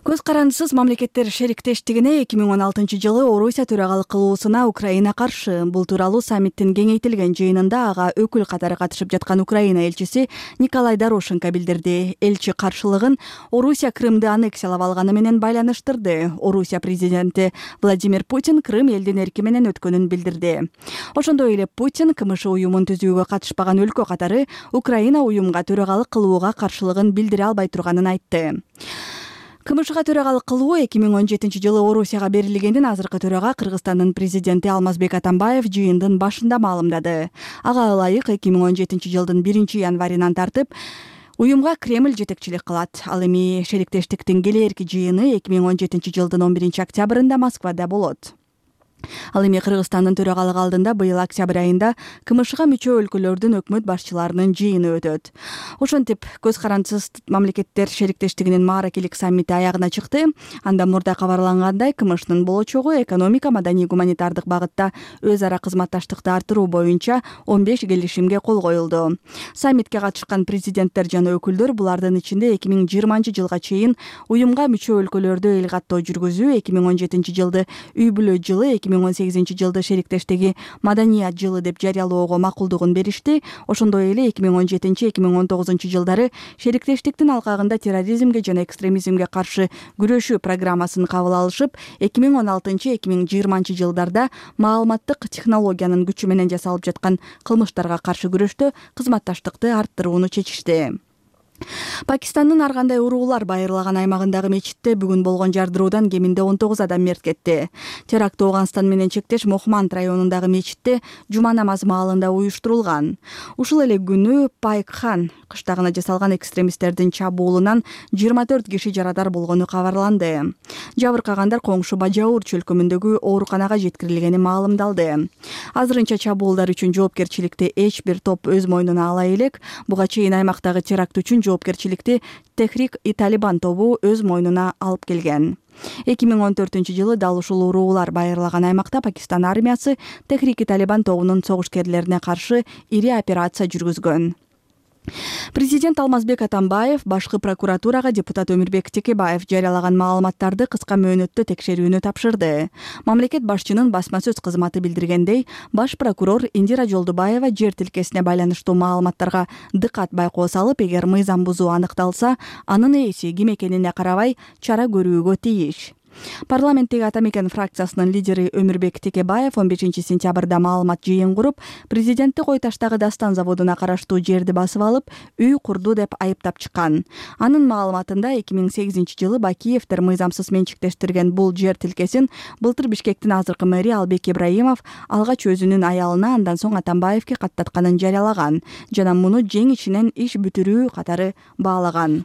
Көз карандысыз мамлекеттер шериктештигине эки миң он алтынчы жылы Орусия төрагалык кылуусуна Украина каршы. Бул тууралуу саммиттин кеңейтилген жыйынында ага өкүл катары катышып жаткан Украина элчиси Николай Дорошенко билдирди. Элчи каршылыгын Орусия Крымды аннексиялап алганы менен байланыштырды. Орусия президенти Владимир Путин Крым элдин эрки менен өткөнүн билдирди. Ошондой эле Путин КМШ уюмун түзүүгө катышпаган өлкө катары Украина уюмга төрагалык кылууга каршылыгын билдире албай турганын айтты. КМШга төрагалык кылуу эки миң он жетинчи жылы Орусияга берилгенин азыркы төрага Кыргызстандын президенти Алмазбек Атамбаев жыйындын башында маалымдады. Ага ылайык эки миң он жетинчи жылдын биринчи январынан тартып уюмга Кремль жетекчилик кылат. Ал эми шериктештиктин келээрки жыйыны эки миң он жетинчи жылдын он биринчи октябрында Москвада болот. Ал эми Кыргызстандын төрагалыгы алдында быйыл октябрь айында КМШга мүчө өлкөлөрдүн өкмөт башчыларынын жыйыны өтөт. Ошентип көз карандысыз мамлекеттер шериктештигинин мааракелик саммити аягына чыкты. Анда мурда кабарлангандай КМШнын болочогу экономика, маданий, гуманитардык багытта өз ара кызматташтыкты арттыруу боюнча он беш келишимге кол коюлду. Саммитке катышкан президенттер жана өкүлдөр булардын ичинде эки миң жыйырманчы жылга чейин уюмга мүчө өлкөлөрдө эл каттоо жүргүзүү, эки миң он жетинчи жылды үй бүлө жылы, эки миң он сегизинчи жылды шериктештиги маданият жылы деп жарыялоого макулдугун беришти. Ошондой эле эки миң он жетинчи эки миң он тогузунчу жылдары шериктештиктин алкагында терроризмге жана экстремизмге каршы күрөшүү программасын кабыл алышып, эки миң он алтынчы эки миң жыйырманчы жылдарда маалыматтык технологиянын күчү менен жасалып жаткан кылмыштарга каршы күрөштө кызматташтыкты арттырууну чечишти. Пакистандын ар кандай уруулар байырлаган аймагындагы мечитте бүгүн болгон жардыруудан кеминде он тогуз адам мерт кетти. Теракт Ооганстан менен чектеш Мохманд районундагы мечитте жума намазы маалында уюштурулган. Ушул эле күнү Пайкхан кыштагына жасалган экстремисттердин чабуулунан жыйырма төрт киши жарадар болгону кабарланды. Жабыркагандар коңшу Бажаур чөлкөмүндөгү ооруканага жеткирилгени маалымдалды. Азырынча чабуулдар үчүн жоопкерчиликти эч бир топ өз мойнуна ала элек. Буга чейин аймактагы теракт үчүн жоопкерчиликти Техрик-и-Талибан тобу өз мойнуна алып келген. эки миң он төртүнчү жылы дал ушул уруулар байырлаган аймакта Пакистан армиясы Техрик-и-Талибан тобунун согушкерлерине каршы ири операция жүргүзгөн. Президент Алмазбек Атамбаев башкы прокуратурага депутат Өмүрбек Текебаев жарыялаган маалыматтарды кыска мөөнөттө текшерүүнү тапшырды. Мамлекет башчынын басма сөз кызматы билдиргендей, баш прокурор Индира Жолдубаева жер тилкесине байланыштуу маалыматтарга дыкат байкоо салып, эгер мыйзам бузуу аныкталса, анын ээси ким экенине карабай чара көрүүгө тийиш. Парламенттеги Ата Мекен фракциясынын лидери Өмүрбек Текебаев он бешинчи сентябрда маалымат жыйын куруп, президентти Кой таштагы Дастан заводуна караштуу жерди басып алып, үй курду деп айыптап чыккан. Анын маалыматында эки миң сегизинчи жылы Бакиевдер мыйзамсыз менчиктештирген бул жер тилкесин былтыр Бишкектин азыркы мэри Албек Ибраимов алгач өзүнүн аялына, андан соң Атамбаевке каттатканын жарыялаган жана муну жең ичинен иш бүтүрүү катары баалаган.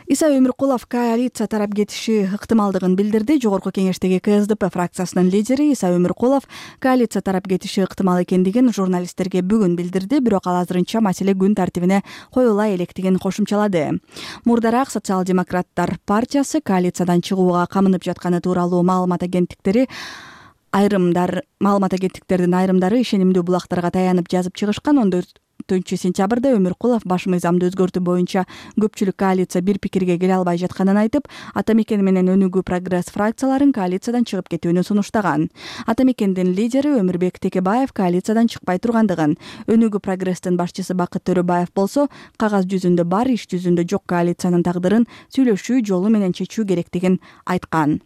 Иса Өмүркулов коалиция тарап кетиши ыктымалдыгын билдирди. Жогорку кеңештеги КСДП фракциясынын лидери Иса Өмүркулов коалиция тарап кетиши ыктымал экендигин журналисттерге бүгүн билдирди, бирок ал азырынча маселе күн тартибине коюла электигин кошумчалады. Мурдараак Социал-демократтар партиясы коалициядан чыгууга камынып жатканы тууралуу маалымат агенттиктери айрымдар маалымат агенттиктердин айрымдары ишенимдүү булактарга таянып жазып чыгышкан. он төртүнчү сентябрда Өмүркулов баш мыйзамды өзгөртүү боюнча көпчүлүк коалиция бир пикирге келе албай жатканын айтып, Ата мекен менен Өнүгүү прогресс фракцияларын коалициядан чыгып кетүүнү сунуштаган. Ата мекендин лидери Өмүрбек Текебаев коалициядан чыкпай тургандыгын, Өнүгүү прогресстин башчысы Бакыт Төрөбаев болсо кагаз жүзүндө бар, иш жүзүндө жок коалициянын тагдырын сүйлөшүү жолу менен чечүү керектигин айткан.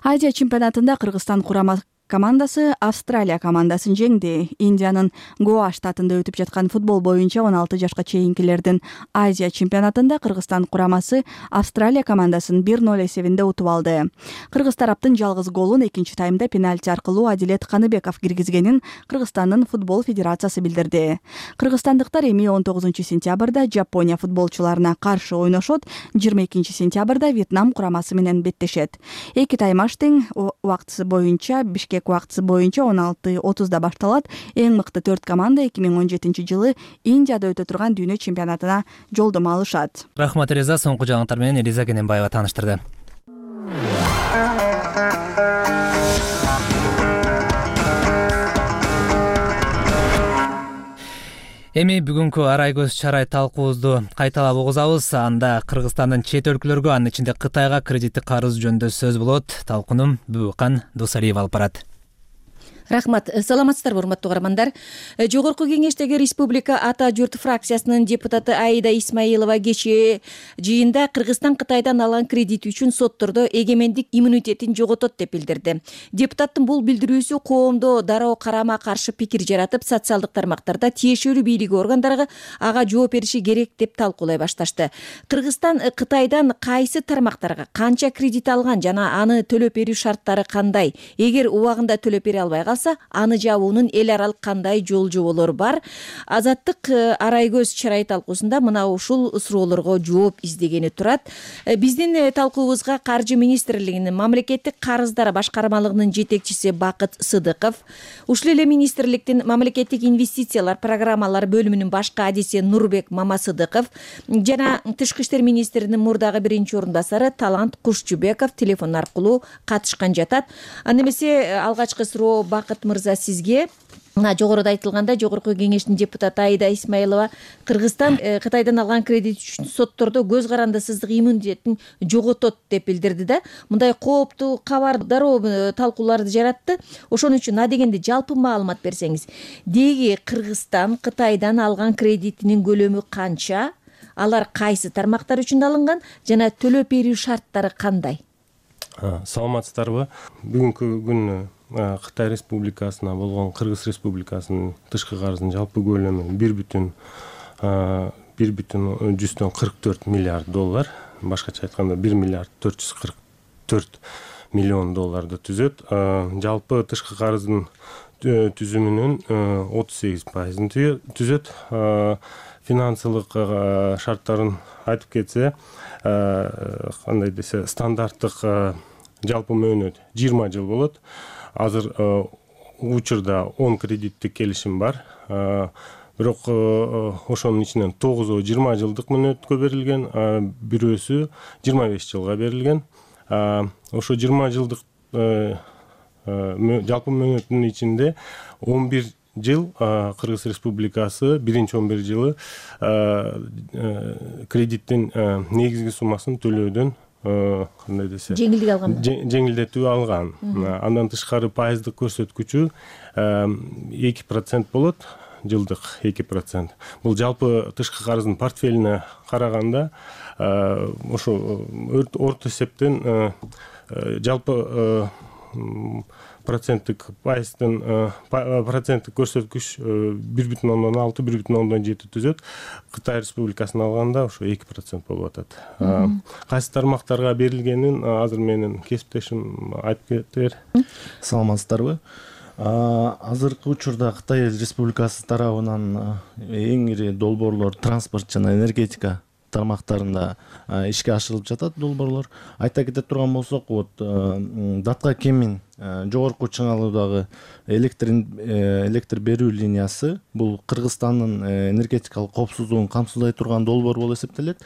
Азия чемпионатында Кыргызстан курама командасы Австралия командасын жеңди. Индиянын Гоа штатында өтүп жаткан футбол боюнча он алты жашка чейинкилердин Азия чемпионатында Кыргызстан курамасы Австралия командасын бир ноль эсебинде утуп алды. Кыргыз тараптын жалгыз голун экинчи таймда пенальти аркылуу Адилет Каныбеков киргизгенин Кыргызстандын футбол федерациясы билдирди. Кыргызстандыктар эми он тогузунчу сентябрда Жапония футболчуларына каршы ойношот, жыйырма экинчи сентябрда Вьетнам курамасы менен беттешет. Эки таймаштын убактысы боюнча Бишкек убактысы боюнча он алты отузда башталат. Эң мыкты төрт команда эки миң он жетинчи жылы Индияда өтө турган дүйнө чемпионатына жолдомо алышат. Рахмат Реза, соңку жаңылыктар менен Элиза Кененбаева тааныштырды. Эми бүгүнкү арай көз чарай талкуубузду кайталап угузабыз. Анда Кыргызстандын чет өлкөлөргө, анын ичинде Кытайга кредиттик карыз жөнүндө сөз болот. Талкуунум Бүбүкан Досалиева алып барат. Рахмат. Саламатсыздарбы, урматтуу угармандар. Жогорку кеңештеги Республика Ата журт фракциясынын депутаты Аида Исмаилова кечээ жыйында Кыргызстан Кытайдан алган кредит үчүн соттордо эгемендик иммунитетин жоготот деп билдирди. Депутаттын бул билдирүүсү коомдо дароо карама каршы пикир жаратып, социалдык тармактарда тиешелүү бийлиги органдарга ага жооп бериши керек деп талкуулай башташты. Кыргызстан Кытайдан кайсы тармактарга канча кредит алган жана аны төлөп берүү шарттары кандай? Эгер убагында төлөп бере албай аны жабуунун эл аралык кандай жол жоболору бар? Азаттык арай көз чарай талкуусунда мына ушул суроолорго жооп издегени турат. Биздин талкуубузга Каржы министрлигинин мамлекеттик карыздар башкармалыгынын жетекчиси Бакыт Сыдыков, ушул эле министрликтин мамлекеттик инвестициялар программалар бөлүмүнүн башкы адиси Нурбек Мамасыдыков жана Тышкы иштер министринин мурдагы биринчи орун басары Талант Кушчубеков телефон аркылуу катышкан жатат. Анда эмесе алгачкы суроо Бакыт мырза сизге. Мына жогоруда айтылганда жогорку кеңештин депутаты Аида Исмаилова Кыргызстан Кытайдан алган кредит үчүн соттордо көз карандысыздык иммунитетин жоготот деп билдирди да. Мындай кооптуу кабар дароо талкууларды жаратты. Ошон үчүн адегенде жалпы маалымат берсеңиз, деги Кыргызстан Кытайдан алган кредитинин көлөмү канча? Алар кайсы тармактар үчүн алынган жана төлөп берүү шарттары кандай? Саламатсыздарбы? Бүгүнкү күн Кытай Республикасына болгон Кыргыз Республикасынын тышкы карызынын жалпы көлөмү бир бүтүн жүздөн кырк төрт миллиард доллар, башкача айтканда бир миллиард төрт жүз кырк төрт миллион долларды түзөт. Жалпы тышкы карыздын түзүмүнүн отуз сегиз пайызын түзөт. Финансылык шарттарын айтып кетсе, кандай десе, стандарттык жалпы мөөнөт жыйырма жыл болот. Азыр учурда он кредиттик келишим бар. Бирок ошонун ичинен тогузу жыйырма жылдык мөөнөткө берилген, бирөөсү жыйырма беш жылга берилген. Ошо жыйырма жылдык жалпы мөөнөттүн ичинде он бир жыл Кыргыз Республикасы биринчи он бир жылы кредиттин негизги суммасын төлөөдөн кандай десе жеңилдик алган, жеңилдетүү алган. Андан тышкары пайыздык көрсөткүчү эки процент болот, жылдык эки процент. Бул жалпы тышкы карыздын портфелине караганда ошо орто эсептен жалпы проценттик пайыздын проценттик көрсөткүч бир бүтүн ондон алты бир бүтүн ондон жети түзөт. Кытай Республикасын алганда ошо эки процент болуп атат. Кайсы тармактарга берилгенин азыр менин кесиптешим айтып кетер. Саламатсыздарбы? Азыркы учурда Кытай Республикасы тарабынан эң ири долбоорлор транспорт жана энергетика тармактарында ишке ашырылып жатат долбоорлор. Айта кете турган болсок, вот Датка Кемин жогорку чыңалуудагы электр электр берүү линиясы бул Кыргызстандын энергетикалык коопсуздугун камсыздай турган долбоор болуп эсептелет.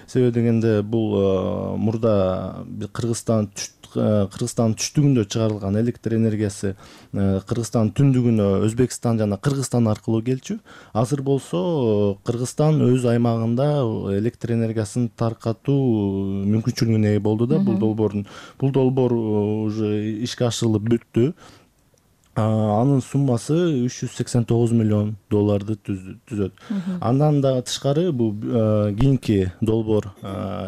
Себеби дегенде бул мурда Кыргызстан Кыргызстандын түштүгүндө чыгарылган электр энергиясы Кыргызстандын түндүгүнө Өзбекстан жана Кыргызстан аркылуу келчү. Азыр болсо Кыргызстан өз аймагында электр энергиясын таркатуу мүмкүнчүлүгүнө ээ болду да. Бул долбоордун бул долбоор уже ишке ашырылып бүттү. Анын суммасы үч жүз сексен тогуз миллион долларды түзөт. Андан да тышкары бул кийинки долбоор,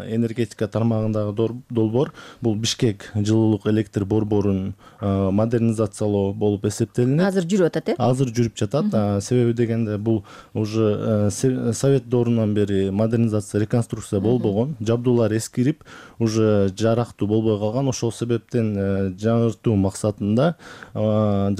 энергетика тармагындагы долбоор бул Бишкек жылуулук электр борборун модернизациялоо болуп эсептелинет. Азыр жүрүп атат, э? Азыр жүрүп жатат. Себеби дегенде бул уже Совет доорунан бери модернизация, реконструкция болбогон, жабдуулар эскирип, уже жарактуу болбой калган. Ошол себептен жаңыртуу максатында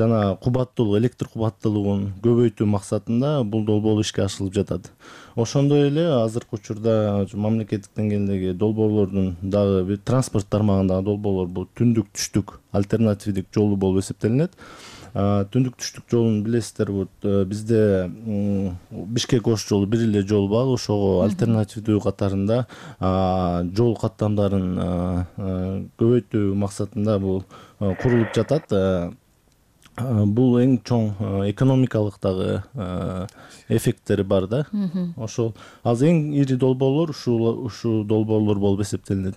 жана кубаттуулук, электр кубаттуулугун көбөйтүү максатында бул долбоор ишке ашырылып жатат. Ошондой эле азыркы учурда мамлекеттик деңгээлдеги долбоорлордун дагы бир транспорт тармагындагы долбоорлор бул түндүк түштүк альтернативдик жолу болуп эсептелинет. Түндүк түштүк жолун билесиздер, вот бизде Бишкек Ош жолу бир эле жол бар. Ошого альтернативдүү катарында жол каттамдарын көбөйтүү максатында бул курулуп жатат. Бул эң чоң экономикалык дагы эффекттери бар да. Ошол азыр эң ири долбоорлор ушул ушул долбоорлор болуп эсептелинет.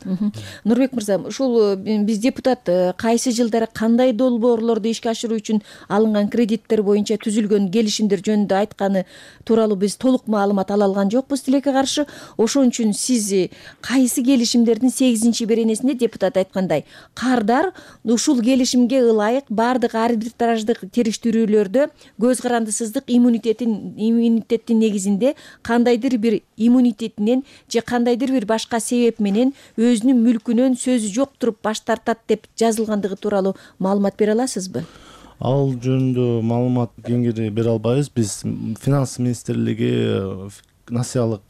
Нурбек мырза, ушул биз депутат кайсы жылдары кандай долбоорлорду ишке ашыруу үчүн алынган кредиттер боюнча түзүлгөн келишимдер жөнүндө айтканы тууралуу биз толук маалымат ала алган жокпуз тилекке каршы. Ошон үчүн сиз кайсы келишимдердин сегизинчи беренесинде депутат айткандай кардар ушул келишимге ылайык бардык арбитраждык териштирүүлөрдө көз карандысыздык иммунитетин иммунитеттин негизинде кандайдыр бир иммунитетинен же кандайдыр бир башка себеп менен өзүнүн мүлкүнөн сөзү жок туруп баш тартат деп жазылгандыгы тууралуу маалымат бере аласызбы? Ал жөнүндө маалымат кеңири бере албайбыз. Биз финанс министрлиги насыялык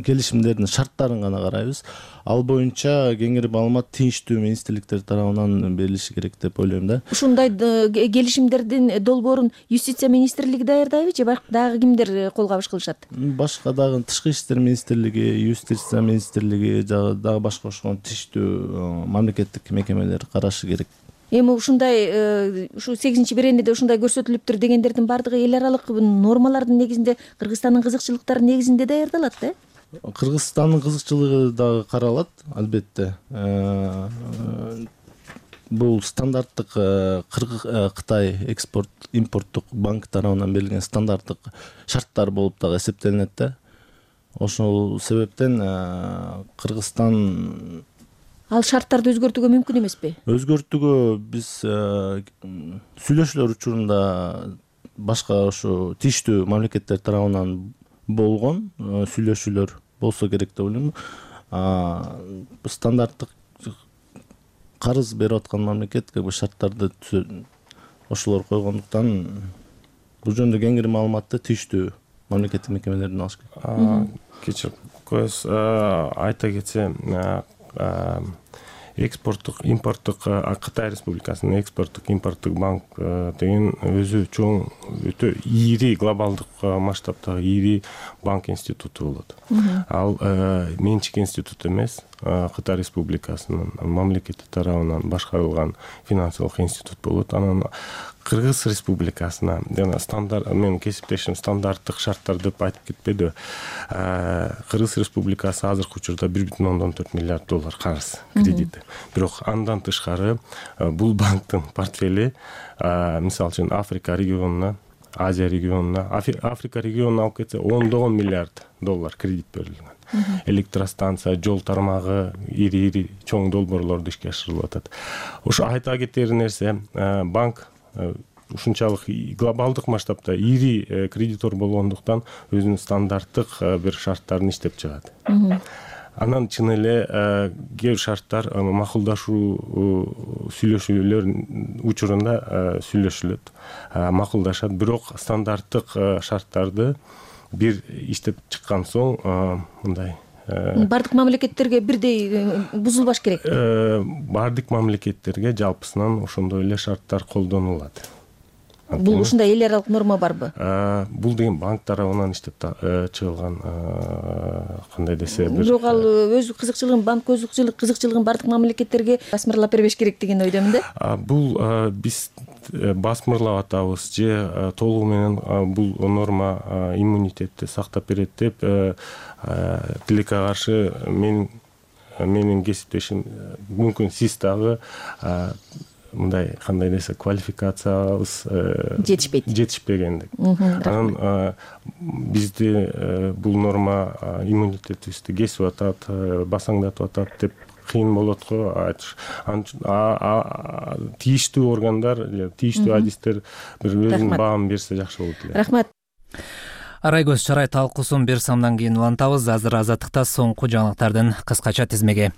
келишимдердин шарттарын гана карайбыз. Ал боюнча кеңири маалымат тийиштүү министрликтер тарабынан берилиши керек деп ойлойм да. Ушундай келишимдердин долбоорун юстиция министрлиги даярдайбы же дагы кимдер кол кабыш кылышат? Башка дагы тышкы иштер министрлиги, юстиция министрлиги жагы дагы башка ошол тийиштүү мамлекеттик мекемелер карашы керек. Эми ушундай ушу сегизинчи беренеде ушундай көрсөтүлүптүр дегендердин баардыгы эл аралык нормалардын негизинде, Кыргызстандын кызыкчылыктары негизинде даярдалат да? Кыргызстандын кызыкчылыгы дагы каралат, албетте. Бул стандарттык Кытай экспорт импорттук банк тарабынан берилген стандарттык шарттар болуп дагы эсептелинет да. Ошол себептен Кыргызстан Ал шарттарды өзгөртүүгө мүмкүн эмеспи? Өзгөртүүгө биз сүйлөшүүлөр учурунда башка ошо тийиштүү мамлекеттер тарабынан болгон сүйлөшүүлөр болсо керек деп ойлойм. Стандарттык карыз берип аткан мамлекет как бы шарттарды ошолор койгондуктан бул жөнүндө кеңири маалыматты тийиштүү мамлекеттик мекемелерден алыш керек. Кечирип коесуз, айта кетсем, экспорттук импорттук Кытай Республикасынын экспорттук импорттук банк деген өзү чоң өтө ири глобалдык масштабтагы ири банк институту болот. Ал менчик институт эмес, Кытай Республикасынын мамлекети тарабынан башкарылган финансылык институт болот. Анан Кыргыз Республикасына жана стандарт, мен кесиптешим стандарттык шарттар деп айтып кетпеди. Кыргыз Республикасы азыркы учурда бир бүтүн ондон төрт миллиард доллар карыз кредити. Бирок андан тышкары бул банктын портфели, мисалы үчүн Африка регионуна, Азия регионуна, Африка регионуна алып кетсе ондогон миллиард доллар кредит берилген. Электростанция, жол тармагы, ири-ири чоң долбоорлорду ишке ашырылып атат. Ошо айта кетер нерсе, банк ушунчалык глобалдык масштабта ири кредитор болгондуктан өзүнүн стандарттык бир шарттарын иштеп чыгат. Анан чын эле кээ бир шарттар макулдашуу сүйлөшүүлөр учурунда сүйлөшүлөт, макулдашат. Бирок стандарттык шарттарды бир иштеп чыккан соң мындай бардык мамлекеттерге бирдей бузулбаш керек. Бардык мамлекеттерге жалпысынан ошондой эле шарттар колдонулат. Бул ушундай эл аралык норма барбы? Бул деген банк тарабынан иштеп чыгылган кандай десе бир. Бирок ал өз кызыкчылыгын, банк өз кызыкчылыгын бардык мамлекеттерге басмырлап бербеш керек деген ойдомун да. Бул биз басмырлап атабыз же толугу менен бул норма иммунитетти сактап берет деп тилекке каршы мен менин кесиптешим мүмкүн сиз дагы мындай кандай десе квалификациябыз жетишпейт жетишпегендик. Анан бизди бул норма иммунитетибизди кесип атат, басаңдатып атат деп кыйын болот го. Тийиштүү органдар, тийиштүү адистер бир өзүнүн баамын берсе жакшы болот эле. Рахмат. Арайгөз Чарай талкуусун бир самдан кийин улантабыз. Азыр Азаттыкта соңку жаңылыктардын кыскача тизмеги.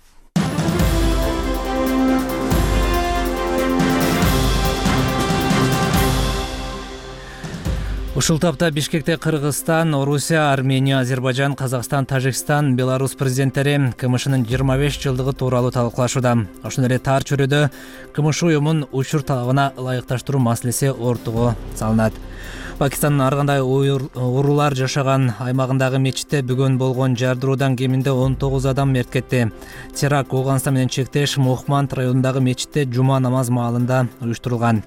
Ушул тапта Бишкекте Кыргызстан, Орусия, Армения, Азербайжан, Казакстан, Тажикстан, Беларусь президенттери КМШнын жыйырма беш жылдыгы тууралуу талкуулашууда. Ошондой эле тар чөйрөдө КМШ уюмун учур талабына ылайыкташтыруу маселеси ортого салынат. Пакистандын ар кандай уруулар жашаган аймагындагы мечитте бүгүн болгон жардыруудан кеминде он тогуз адам мерт кетти. Теракт Ооганстан менен чектеш Мохманд районундагы мечитте жума намаз маалында уюштурулган.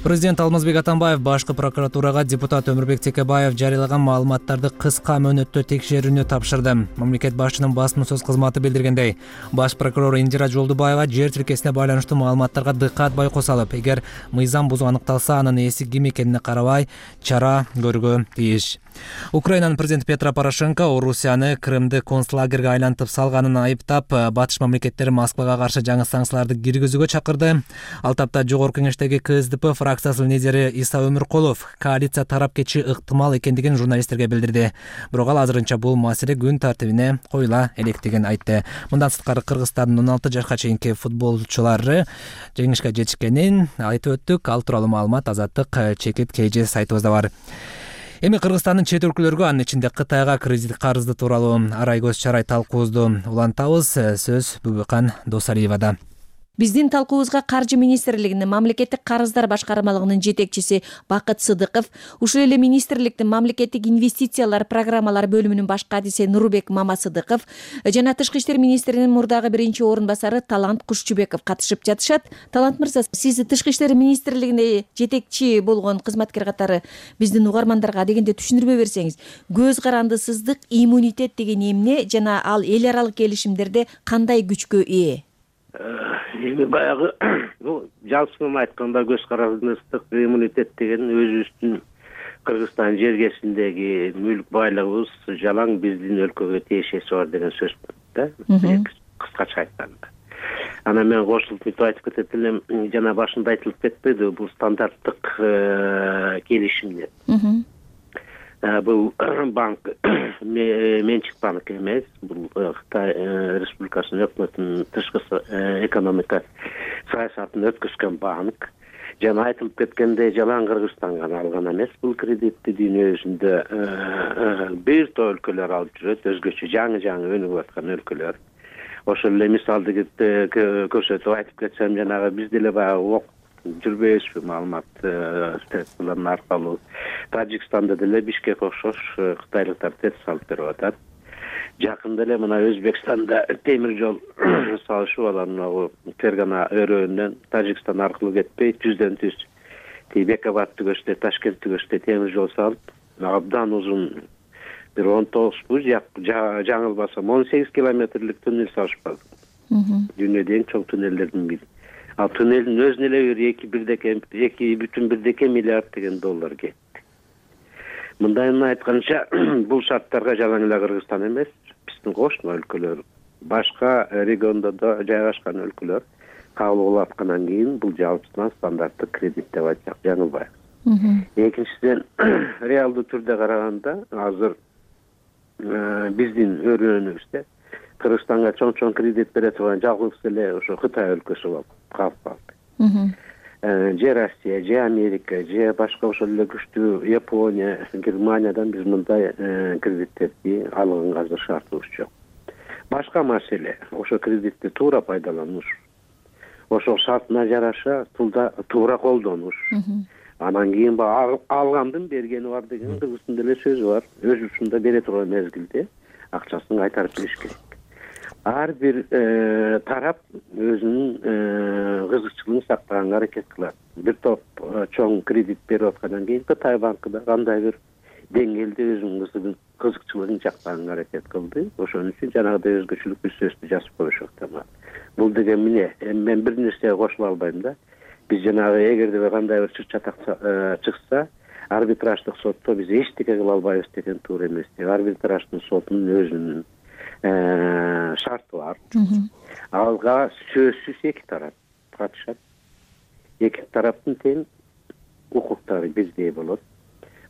Президент Алмазбек Атамбаев башкы прокуратурага депутат Өмүрбек Текебаев жарыялаган маалыматтарды кыска мөөнөттө текшерүүнү тапшырды. Мамлекет башчынын басма сөз кызматы билдиргендей, баш прокурор Индира Жолдубаева жер тилкесине байланыштуу маалыматтарга дыккат байкоо салып, эгер мыйзам бузуу аныкталса, анын ээси ким экенине карабай чара көрүүгө тийиш. Украинанын президенти Петро Порошенко Орусияны Крымды концлагерге айлантып салганын айыптап, батыш мамлекеттери Москвага каршы жаңы санкцияларды киргизүүгө чакырды. Ал тапта жогорку кеңештеги КСДП фракциясынын лидери Иса Өмүркулов коалиция тарап кетиши ыктымал экендигин журналисттерге билдирди. Бирок ал азырынча бул маселе күн тартибине коюла электигин айтты. Мындан сырткары Кыргызстандын он алты жашка чейинки футболчулары жеңишке жетишкенин айтып өттүк. Ал тууралуу маалымат Азаттык чекит KG сайтыбызда бар. Эми Кыргызстандын чет өлкөлөргө, анын ичинде Кытайга кредит карызды тууралуу Арайгөз Чарай талкуубузду улантабыз. Сөз Бүбүкан Досалиевада. Биздин талкуубузга Каржы министрлигинин мамлекеттик карыздар башкармалыгынын жетекчиси Бакыт Сыдыков, ушул эле министрликтин мамлекеттик инвестициялар программалар бөлүмүнүн баш кадиси Нурбек Мамасыдыков жана Тышкы иштер министринин мурдагы биринчи орун басары Талант Кушчубеков катышып жатышат. Талант мырза, сиз Тышкы иштер министрлигинде жетекчи болгон кызматкер катары биздин угармандарга дегенде түшүндүрмө берсеңиз, көз карандысыздык, иммунитет деген эмне жана ал эл аралык келишимдерде кандай күчкө ээ? Эми баягы бул жалпысынан айтканда көз карандысыздык, иммунитет деген өзүбүздүн Кыргызстан жергесиндеги мүлк байлыгыбыз жалаң биздин өлкөгө тиешеси бар деген сөз да. Кыскача айтканда. Анан мен кошулуп мынтип айтып кетет элем, жана башында айтылып кетпеди, бул стандарттык келишимдер. Бул банк менчик банк эмес, бул Кытай Республикасынын өкмөтүнүн тышкы экономика саясатын өткөзгөн банк. Жана айтылып кеткендей, жалаң Кыргызстанга алган эмес бул кредитти, дүйнө жүзүндө бир топ өлкөлөр алып жүрөт, өзгөчө жаңы-жаңы өнүгүп аткан өлкөлөр. Ошол эле мисалды көрсөтүп айтып кетсем, жанагы биз деле баягы жүрбөйбүзбү маалымат средстволордун аркылуу. Тажикстанда деле Бишкек окшош кытайлыктар тез салып берип атат. Жакында эле мына Өзбекстанда темир жол салышып алган Фергана өрөөнүнөн Тажикстан аркылуу кетпей, жүздөн түз Бекабад түгөштө, Ташкент түгөштө темир жол салып, абдан узун бир он тогузбу, жаңылбасам он сегиз километрлик туннель салышпады. Дүйнөдө эң чоң туннелдердин бири. Ал туннелдин өзүнө эле бир эки бирдеке эки бүтүн бирдеке миллиард деген доллар кетти. Мындайын айтканча, бул шарттарга жалаң эле Кыргызстан эмес, биздин кошуна өлкөлөр, башка региондо да жайгашкан өлкөлөр кабыл кылып аткандан кийин бул жалпысынан стандарттык кредит деп айтсак жаңылбайбыз. Экинчиден, реалдуу түрдө караганда, азыр биздин өрөөнүбүздө Кыргызстанга чоң-чоң кредит бере турган жалгыз эле ошо Кытай өлкөсү болуп калып калды. же Россия, же Америка, же башка ошол эле күчтүү Япония, Германиядан биз мындай кредиттерди алганга азыр шартыбыз жок. Башка маселе ошо кредитти туура пайдалануш, ошол шартына жараша туура колдонуш. Анан кийин баягы алгандын бергени бар деген кыргыздын деле сөзү бар. Өз учунда бере турган мезгилде акчасын кайтарып бериш керек. Ар бир тарап өзүнүн кызыкчылыгын сактаганга аракет кылат. Бир топ чоң кредит берип аткандан кийин Кытай банкы да кандай бир деңгээлде өзүнүн кызыкчылыгын жактаганга аракет кылды. Ошон үчүн жанагыдай өзгөчөлүк бүсөстү жазып коюшат. Бул деген эмне? Мен бир нерсеге кошула албайм да. Биз жанагы эгерде кандай бир чыр чатак чыкса, арбитраждык сотто биз эчтеке кыла албайбыз деген туура эмес. Арбитраждын сотунун өзүнүн шарты бар. Алга сөзсүз эки тарап катышат. Эки тараптын тең укуктары бирдей болот.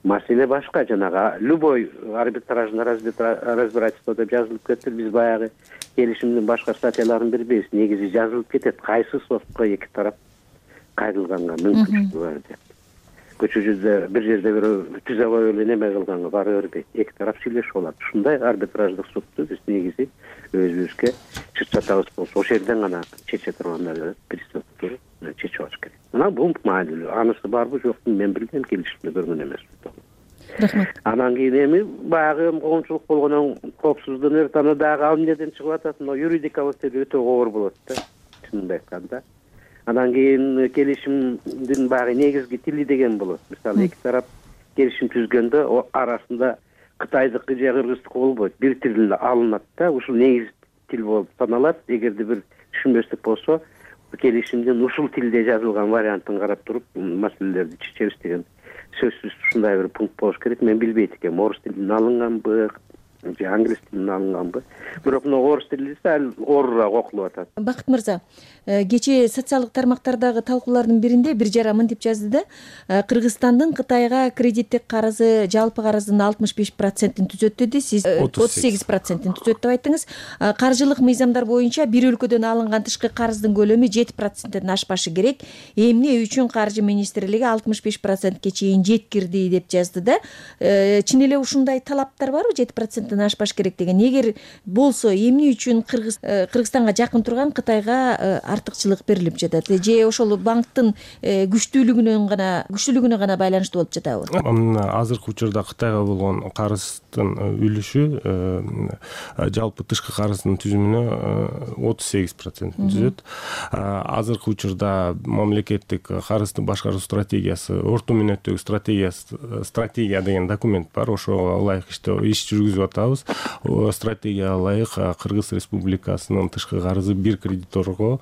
Маселе башка, жанагы любой арбитражный разбирательство деп жазылып кетти. Биз баягы келишимдин башка статьяларын бербейбиз. Негизи жазылып кетет кайсы сотко эки тарап кайрылганга мүмкүнчүлүгү бар деп. Көчөдө бир жерде бир түзөбөй эле неме кылганга бара бербейт. Эки тарап сүйлөшүп алат. Ушундай арбитраждык сотто биз негизи өзүбүзгө чыр чатагыбыз болсо ошол жерден гана чече тургандар приставдыр чечип алыш керек. Мына бул маанилүү. Анысы барбы жокпу мен билбейм, келишимде көргөн эмесмин. Рахмат. Анан кийин эми баягы коомчулук болгондон коопсуздунуп аны дагы ал эмнеден чыгып атат? Мына юридикалык деп өтө оор болот да. Чынын айтканда. Анан кийин келишимдин баягы негизги тили деген болот. Мисалы эки тарап келишим түзгөндө арасында Кытайдыкы же кыргыздыкы болбойт. Бир тилде алынат да, ушул негиз тил болуп саналат. Эгерде бир түшүнбөстүк болсо, келишимдин ушул тилде жазылган вариантын карап туруп маселелерди чечебиз деген сөзсүз ушундай бир пункт болуш керек. Мен билбейт экенмин, орус тилинен алынганбы же англис тилинен алынганбы. Бирок мына орус тили сал оорураак окулуп атат. Бакыт мырза, кечээ социалдык тармактардагы талкуулардын биринде бир жара мынтип жазды да, Кыргызстандын Кытайга кредиттик карызы жалпы карыздын алтымыш беш процентин түзөт деди. Сиз отуз сегиз процентин түзөт деп айттыңыз. Каржылык мыйзамдар боюнча бир өлкөдөн алынган тышкы карыздын көлөмү жети проценттен ашпашы керек. Эмне үчүн Каржы министрлиги алтымыш беш процентке чейин жеткирди деп жазды да. Чын эле ушундай талаптар барбы? жети проценттен ашпаш керек деген. Эгер болсо эмне үчүн Кыргызстанга жакын турган Кытайга артыкчылык берилип жатат? Же ошол банктын күчтүүлүгүнөн гана күчтүүлүгүнө гана байланыштуу болуп жатабы? Азыркы учурда Кытайга болгон карыздын үлүшү жалпы тышкы карыздын түзүмүнө отуз сегиз процентин түзөт. Азыркы учурда мамлекеттик карызды башкаруу стратегиясы, орто мөөнөттөгү стратегиясы, стратегия деген документ бар. Ошого ылайык иш жүргүзүп атабыз. Стратегияга ылайык Кыргыз Республикасынын тышкы карызы бир кредиторго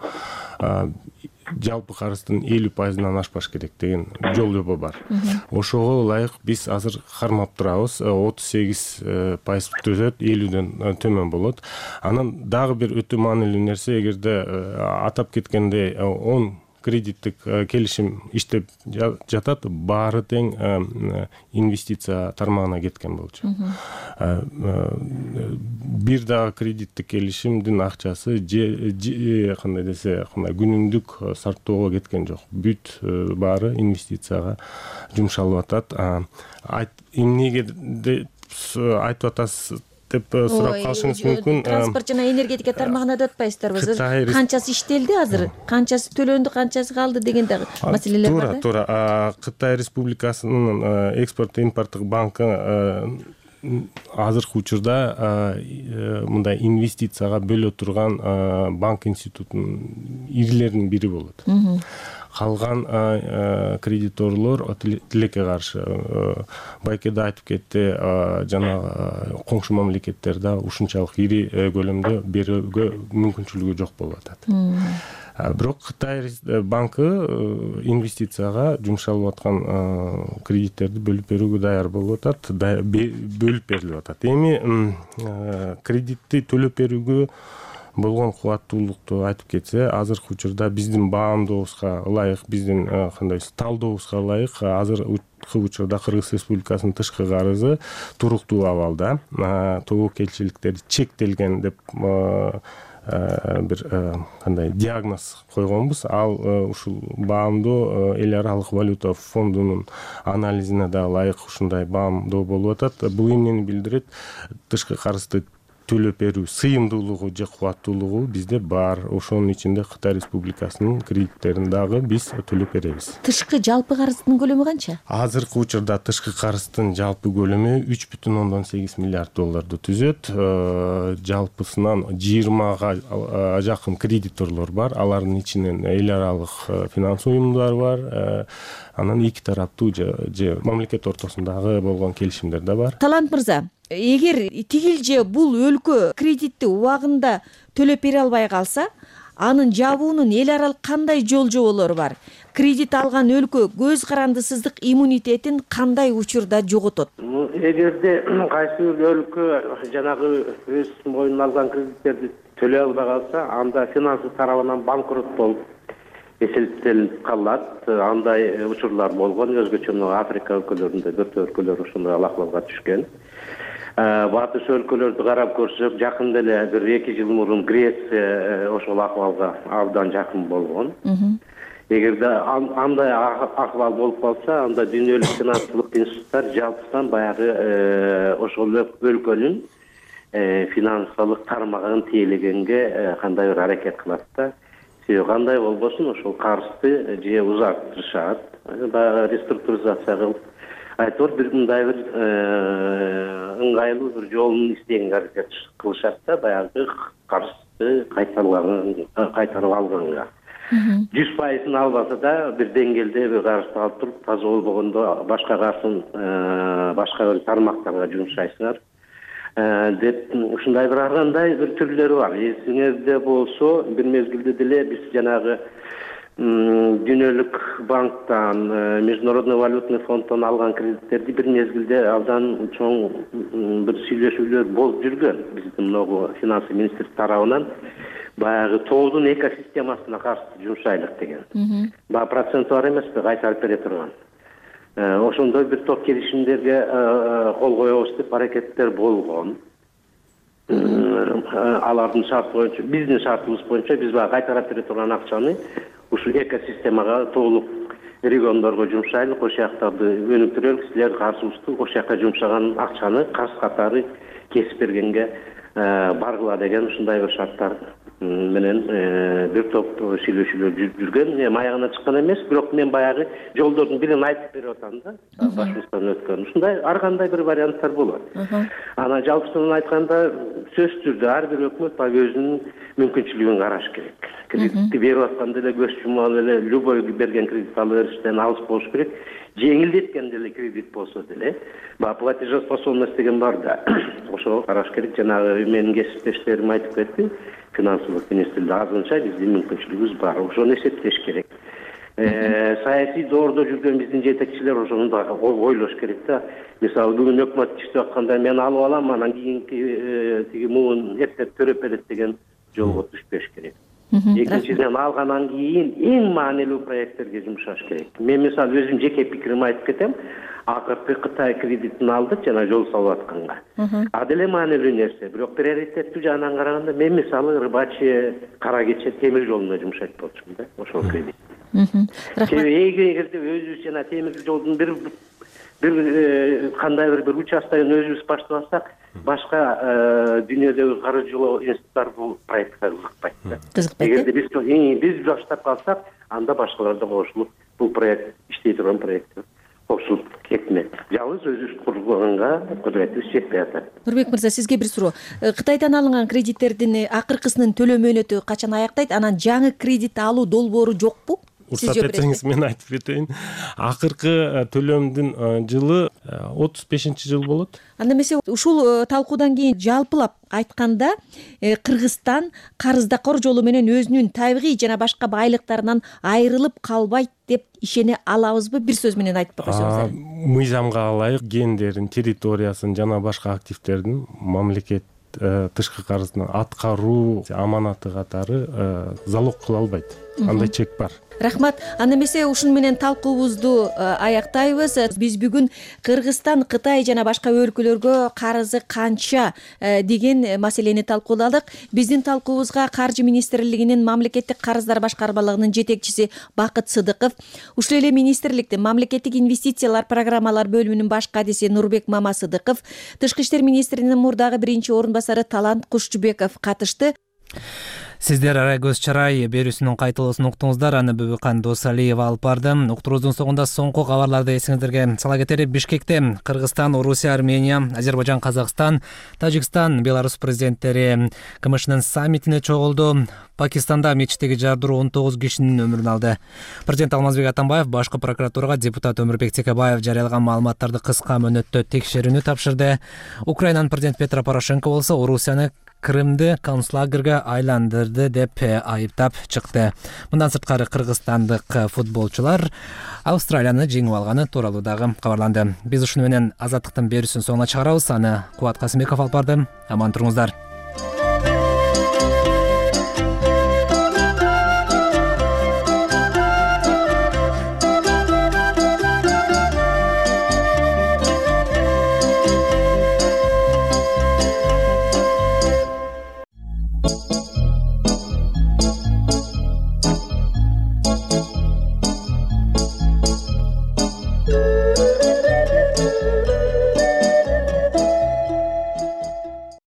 жалпы карыздын элүү пайызынан ашпаш керек деген жол жобо бар. Ошого ылайык биз азыр кармап турабыз. отуз сегиз пайыз түзөт, элүүдөн төмөн болот. Анан дагы бир өтө маанилүү нерсе, эгерде атап кеткендей он кредиттик келишим иштеп жатат, баары тең инвестиция тармагына кеткен болчу. Бир дагы кредиттик келишимдин акчасы же кандай десе, кандай күнүмдүк сарптоого кеткен жок. Бүт баары инвестицияга жумшалып атат. Эмнеге айтып атасыз деп сурап калышыңыз мүмкүн. Транспорт жана энергетика тармагына да атпайсыздарбы? Канчасы иштелди азыр, канчасы төлөндү, канчасы калды деген дагы маселелер бар да. Туура, туура. Кытай Республикасынын экспорт импорттук банкы азыркы учурда мындай инвестицияга бөлө турган банк институтунун ирилеринин бири болот. Калган кредиторлор тилекке каршы. Байкеде айтып кетти, жана коңшу мамлекеттерде ушунчалык ири көлөмдө берүүгө мүмкүнчүлүгү жок болуп атат. Бирок Кытай банкы инвестицияга жумшалып аткан кредиттерди бөлүп берүүгө даяр болуп атат, бөлүп берилип атат. Эми кредитти төлөп берүүгө болгон кубаттуулукту айтып кетсе, азыркы учурда биздин баамдообузга ылайык, биздин кандай талдообузга ылайык, азыркы учурда Кыргыз Республикасынын тышкы карызы туруктуу абалда. Тобокелчиликтер чектелген деп бир кандай диагноз койгонбуз. Ал ушул баамдоо эл аралык валюта фондунун анализине да ылайык ушундай баамдоо болуп атат. Бул эмнени билдирет? Тышкы карызды төлөп берүү сыйымдуулугу же кубаттуулугу бизде бар. Ошонун ичинде Кытай Республикасынын кредиттерин дагы биз төлөп беребиз. Тышкы жалпы карыздын көлөмү канча? Азыркы учурда тышкы карыздын жалпы көлөмү үч бүтүн ондон сегиз миллиард долларды түзөт. Жалпысынан жыйырмага жакын кредиторлор бар. Алардын ичинен эл аралык финанс уюмдар бар. Анан эки тараптуу же мамлекет ортосундагы болгон келишимдер да бар. Талант мырза, эгер тигил же бул өлкө кредитти убагында төлөп бере албай калса, анын жабуунун эл аралык кандай жол жоболору бар? Кредит алган өлкө көз карандысыздык иммунитетин кандай учурда жоготот? Эгерде кайсы бир өлкө жанагы өз мойнуна алган кредиттерди төлөй албай калса, анда финансы тарабынан банкрот болуп эсептелип калат. Андай учурлар болгон. Өзгөчө Африка өлкөлөрүндө төрт өлкөлөр ушундай алакалга түшкөн. Батыш өлкөлөрдү карап көрсөк, жакында эле бир эки жыл мурун Греция ошол акыбалга абдан жакын болгон. Эгерде андай акыбал болуп калса, анда дүйнөлүк финансылык институттар жалпысынан баягы ошол өлкөнүн финансылык тармагын тейлегенге кандай бир аракет кылат да. Себеби кандай болбосун ошол карызды же узартышат, баягы реструктуризация кылып, айтор бир мындай бир ыңгайлуу бир жолун издегенге аракет кылышат да, баягы карызды кайтарып алганга. жүз пайызын албаса да бир деңгээлде бир карызды алып туруп, таза болбогондо башка карызын башка бир тармактарга жумшайсыңар деп ушундай бир ар кандай бир түрлөрү бар. Эсиңерде болсо, бир мезгилде деле биз жанагы дүйнөлүк банктан, Международный валютный фонддон алган кредиттерди бир мезгилде абдан чоң бир сүйлөшүүлөр болуп жүргөн. Биздин могу финансы министрлик тарабынан баягы тоодун экосистемасына каршы жумшайлык деген. Баа проценти бар эмеспи, кайтарып бере турган. Ошондой бир топ келишимдерге кол коебуз деп аракеттер болгон. Алардын шарты боюнча, биздин шартыбыз боюнча биз баягы кайтарып бере турган акчаны ушул экосистемага толук региондорго жумшайлык, ошол жактарды өнүктүрөлүк, силер каржыбызды ошол жака жумшаган акчаны карыз катары кесип бергенге баргыла деген ушундай бир шарттар менен бир топ сүйлөшүүлөр жүргөн. Маягына чыккан эмес, бирок мен баягы жолдордун бирин айтып берип атам да, башыбыздан өткөн. Ушундай ар кандай бир варианттар болот. Анан жалпысынан айтканда, сөзсүз түрдө ар бир өкмөт баягы өзүнүн мүмкүнчүлүгүн караш керек. Кредитти берип атканда эле көз жумган эле любой берген кредит алып бериштен алыс болуш керек. Жеңилдеткен деле кредит болсо деле, баягы платежеспособность деген бар да. Ошого караш керек. Жанагы менин кесиптештерим айтып кетти. Финансылык министрликте азырынча биздин мүмкүнчүлүгүбүз бар. Ошону эсептеш керек. Саясий доордо жүргөн биздин жетекчилер ошону да ойлош керек да. Мисалы бүгүн өкмөт иштеп атканда мен алып алам, анан кийинки тиги муун эптеп төрөп берет деген жолго түшпөш керек. Экинчиден, алгандан кийин эң маанилүү проекттерге жумшаш керек. Мен мисалы өзүм жеке пикиримди айтып кетем. Акыркы Кытай кредитин алдык жана жол салып атканга. А деле маанилүү нерсе. Бирок приоритеттүү жагынан караганда мен мисалы Рыбачи, Кара Кече темир жолуна жумшайт болчумун да, ошол кредит. Себеби эгерде өзүбүз жана темир жолдун бир бир кандай бир бир участканы өзүбүз баштап алсак, башка дүйнөдөгү каржылоо институттар бул проектке кызыкпайт да. Кызыкпайт. Эгерде биз биз баштап калсак, анда башкалар да кошулуп бул проект иштей турган проект кошулуп кетмек. Жалгыз өзүбүз курганга кудуретибиз жетпей атат. Нурбек мырза, сизге бир суроо. Кытайдан алынган кредиттердин акыркысынын төлөө мөөнөтү качан аяктайт? Анан жаңы кредит алуу долбоору жокпу? Уруксат этсеңиз мен айтып кетейин. Акыркы төлөмдүн жылы отуз бешинчи жыл болот. Анда эмесе ушул талкуудан кийин жалпылап айтканда Кыргызстан карыздакор жолу менен өзүнүн табигый жана башка байлыктарынан айрылып калбайт деп ишене алабызбы? Бир сөз менен айтып койсоңуз. Мыйзамга ылайык гендерин, территориясын жана башка активдердин мамлекет тышкы карыздын аткаруу аманаты катары залог кыла албайт. Андай чек бар. Рахмат. Анда эмесе ушуну менен талкуубузду аяктайбыз. Биз бүгүн Кыргызстан, Кытай жана башка өлкөлөргө карызы канча деген маселени талкууладык. Биздин талкуубузга Каржы министрлигинин мамлекеттик карыздар башкармалыгынын жетекчиси Бакыт Сыдыков, ушул эле министрликтин мамлекеттик инвестициялар программалар бөлүмүнүн баш кадиси Нурбек Мамасыдыков, Тышкы иштер министринин мурдагы биринчи орун басары Талант Кушчубеков катышты. Сиздер Ара көз чарай берүүсүнүн кайталоосун уктуңуздар. Аны Бөбүкан Досалиева алып барды. Уктуруубуздун соңунда соңку кабарларды эсиңиздерге сала кетели. Бишкекте Кыргызстан, Орусия, Армения, Азербайжан, Казакстан, Тажикстан, Беларусь президенттери КМШнын саммитине чогулду. Пакистанда мечиттеги жардыруу он тогуз кишинин өмүрүн алды. Президент Алмазбек Атамбаев башкы прокуратурага депутат Өмүрбек Текебаев жарыялаган маалыматтарды кыска мөөнөттө текшерүүнү тапшырды. Украинанын президенти Петро Порошенко болсо Орусияны Крымды концлагерге айландырды деп айыптап чыкты. Мындан сырткары кыргызстандык футболчулар Австралияны жеңип алганы тууралуу дагы кабарланды. Биз ушуну менен азаттыктын берүүсүн соңуна чыгарабыз. Аны Кубат Касымбеков алып барды. Аман туруңуздар.